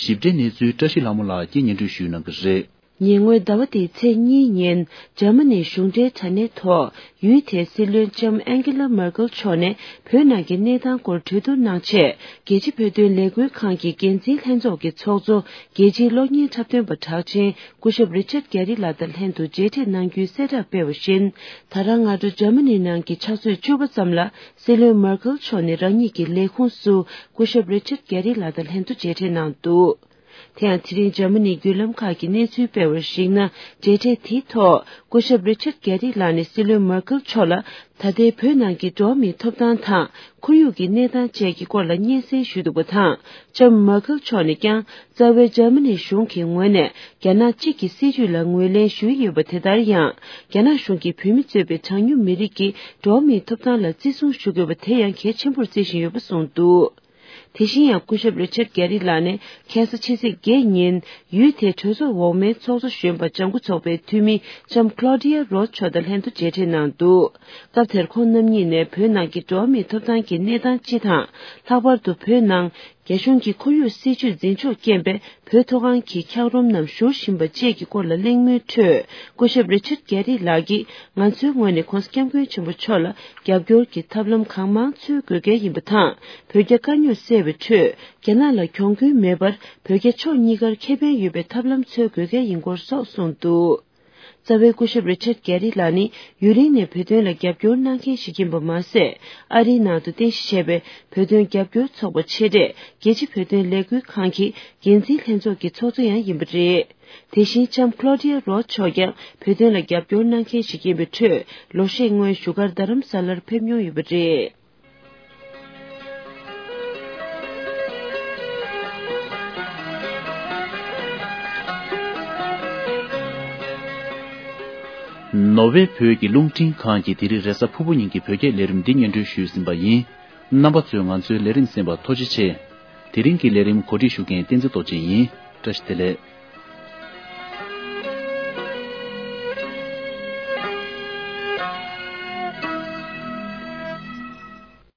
ཞིབ་ཕྲའི་གནས་ཚུལ་བཀྲ་ཤིས་ལྷ་མོ་ལགས་ཀྱིས་སྙན་སྒྲོན་ཞུས་གནང་གི་རེད། ཉེ་སྔོན་ཟླ་བ་འདིའི་ཚེས་གཉིས་ཉིན་འཇར་མ་ནིའི་གཞུང་འབྲེལ་དྲ་གནས་ཐོག་ཡུལ་དེའི་སྲིད་བློན་ལྕམ་ཨན་ཀེ་ལ་མར་ཀེལ་མཆོག་ནས་བོད་ནང་གི་གནས་སྟངས་སྐོར་གྲོས་བསྡུར་གནང་ཆེད། རྒྱལ་སྤྱིའི་བོད་དོན་ལས་འགུལ་ཁང་གི་འགན་འཛིན་ལྷན་ཚོགས་ཀྱི་ཚོགས་གཙོ། རྒྱལ་སྤྱིའི་གློག་བརྙན་འཁྲབ་སྟོན་པ་གྲགས་ཅན་སྐུ་ཞབས་རི་ཅར་ཌ་ཀེ་རི་ལགས་དང་ལྷན་དུ་མཇལ་འཕྲད་གནང་རྒྱུའི་གསལ་བསྒྲགས་སྤེལ་བ་བཞིན། ད་རང་སྔ་དྲོ་འཇར་མ་ནི་ནང་གི་ཕྱག་ཚོད་བཅུ་པ་ཙམ་ལ་སྲིད་བློན་མར་ཀེལ་མཆོག་ནས་རང་ཉིད་ཀྱི་ལས་ཁུངས་སུ་སྐུ་ཞབས་རི་ཅར་ཌ་ཀེ་རི་ལགས་དང་ལྷན་དུ་མཇལ་འཕྲད་གནང་འདུག་དེ་ཡང་དེ་རིང་འཇར་མ་ནིའི་བརྒྱུད་ལམ་ཁག་གིས་གནས་ཚུལ་སྤེལ་བར་གཞིགས་ན། མཇལ་འཕྲད་དེའི་ཐོག་སྐུ་ཞབས་རི་ཅར་ཌ་ཀེ་རི་ལགས་ནས་སྲིད་བློན་མར་ཀེལ་མཆོག་ལ་ད་ལྟའི་བོད་ནང་གི་འགྲོ་བ་མིའི་ཐོབ་ཐང་དང་ཁོར་ཡུག་གི་གནས་སྟངས་བཅས་ཀྱི་སྐོར་ལ་སྙན་སེང་ཞུས་འདུག་པ་དང་། ལྕམ་མར་ཀེལ་མཆོག་ནས་ཀྱང་རྩ་བའི་འཇར་མ་ནི་གཞུང་གི་ངོས་ནས་རྒྱ་ནག་གཅིག་གི་སྲིད་བྱུས་ལ་ངོས་ལེན་ཞུས་ཡོད་པ་དེ་ལྟར་ཡང་། རྒྱ་ནག་གཞུང་གིས་བོད་མི་གཙོས་པའི་གྲངས་ཉུང་མི་རིགས་ཀྱི་འགྲོ་བ་མིའི་ཐོབ་ཐང་ལ་བརྩི་སྲུང་ཞུ་དགོས་པ་དེ་ཡང་གལ་ཆེན་པོར་བརྩི་བཞིན་ཡོད་པ་གསུངས་འདུག་དེ་བཞིན་ཡང་སྐུ་ཞབས་རི་ཅར་ཌ་ཀེ་རི་ལགས་ནས་ཁ་སང་ཕྱི་ཚེས་བརྒྱད་ཉིན་ཡུལ་དེའི་གྲོས་ཚོགས་འོག་མའི་ཚོགས་གཙོ་གཞོན་པ་ལྗང་ཁུ་ཚོགས་པའི་འཐུས་མི་ལྕམ་ཀློ་ཌི་ཡ་རོ་མཆོག་དང་ལྷན་དུ་མཇལ་འཕྲད་གནང་འདུག་སྐབས་དེར་ཁོང་རྣམ་གཉིས་ནས་བོད་ནང་གི་འགྲོ་བ་མིའི་ཐོབ་ཐང་གི་གནས་སྟངས་སྤྱི་དང་། ལྷག་པར་དུ་བོད་ནང་རྒྱ་གཞུང་གི་ཁོར་ཡུག་སྲིད་བྱུས་འཛིན་ཕྱོགས་རྐྱེན་པས་བོད་མཐོ་སྒང་གི་འཁྱགས་རོམ་རྣམས་བཞུར་བཞིན་པ་བཅས་ཀྱི་སྐོར་ལ་གླེང་མོལ་ཁྲོད། སྐུ་ཞབས་རི་ཅར་ཌ་ཀེ་རི་ལགས་ཀྱིས་ང་ཚོའི་ངོས་ནས་ྋགོང་ས་ྋསྐྱབས་མགོན་ཆེན་པོ་མཆོག་ལ་རྒྱབ་སྐྱོར་གྱི་ཐབས་ལམ་གང་མང་འཚོལ་དགོས་གལ་ཡིན་པ་དང་། བོད་རྒྱ་དཀའ་རྙོག་སེལ་བའི་ཁྲོད་རྒྱ་ནག་ལ་གྱོང་གུན་མེད་པར་བོད་རྒྱ་ཕྱོགས་གཉིས་ཀར་ཁེ་ཕན་ཡོད་པའི་ཐབས་ལམ་འཚོལ་དགོས་གལ་ཡིན་སྐོར་སོགས་གསུངས་འདུག་རྩ་བའི་སྐུ་ཞབས་རི་ཅར་ཌ་ཀེ་རི་ལགས་ནི་ཡུན་རིང་ནས་བོད་དོན་ལ་རྒྱབ་སྐྱོར་གནང་མཁན་ཞིག་ཡིན་པ་མ་ཟད། ཨ་རིའི་ནང་དུ་རྟེན་གཞི་བྱས་པའི་བོད་དོན་རྒྱབ་སྐྱོར་ཚོགས་པ་ཆེ་གྲས་རྒྱལ་སྤྱི་བོད་དོན་ལས་འགུལ་ཁང་གི་འགན་འཛིན་ལྷན་ཚོགས་ཀྱི་ཚོགས་གཙོ་ཡང་ཡིན་པ་རེད། དེ་བཞིན་ལྕམ་ཀློ་ཌི་ཡ་རོ་མཆོག་ཀྱང་བོད་དོན་ལ་རྒྱབ་སྐྱོར་གནང་མཁན་ཞིག་ཡིན་པའི་ཁྲོད། ལོ་ཤས་སྔོན་བཞུགས་སྒར་རྡ་རམ་ས་ལར་ཕེབས་མྱོང་ཡོད་པ་རེད། ནོར་ཝེ་བོད་ཀྱི་རླུང་འཕྲིན་ཁང་གིས་དེ་རིང་རེས་གཟའ་ཕུར་བུ་ཉིན་གྱི་བོད་སྐད་ལས་རིམ་འདི་སྙན་སྒྲོན་ཞུས་ཟིན་པ་ཡིན། རྣམ་པ་ཚོས་ང་ཚོའི་ལས་རིམ་གསན་པར་ཐུགས་རྗེ་ཆེ། དེ་རིང་གི་ལས་རིམ་གོ་སྒྲིག་ཞུ་མཁན་བསྟན་འཛིན་རྡོ་རྗེ་ཡིན། བཀྲ་ཤིས་བདེ་ལེགས།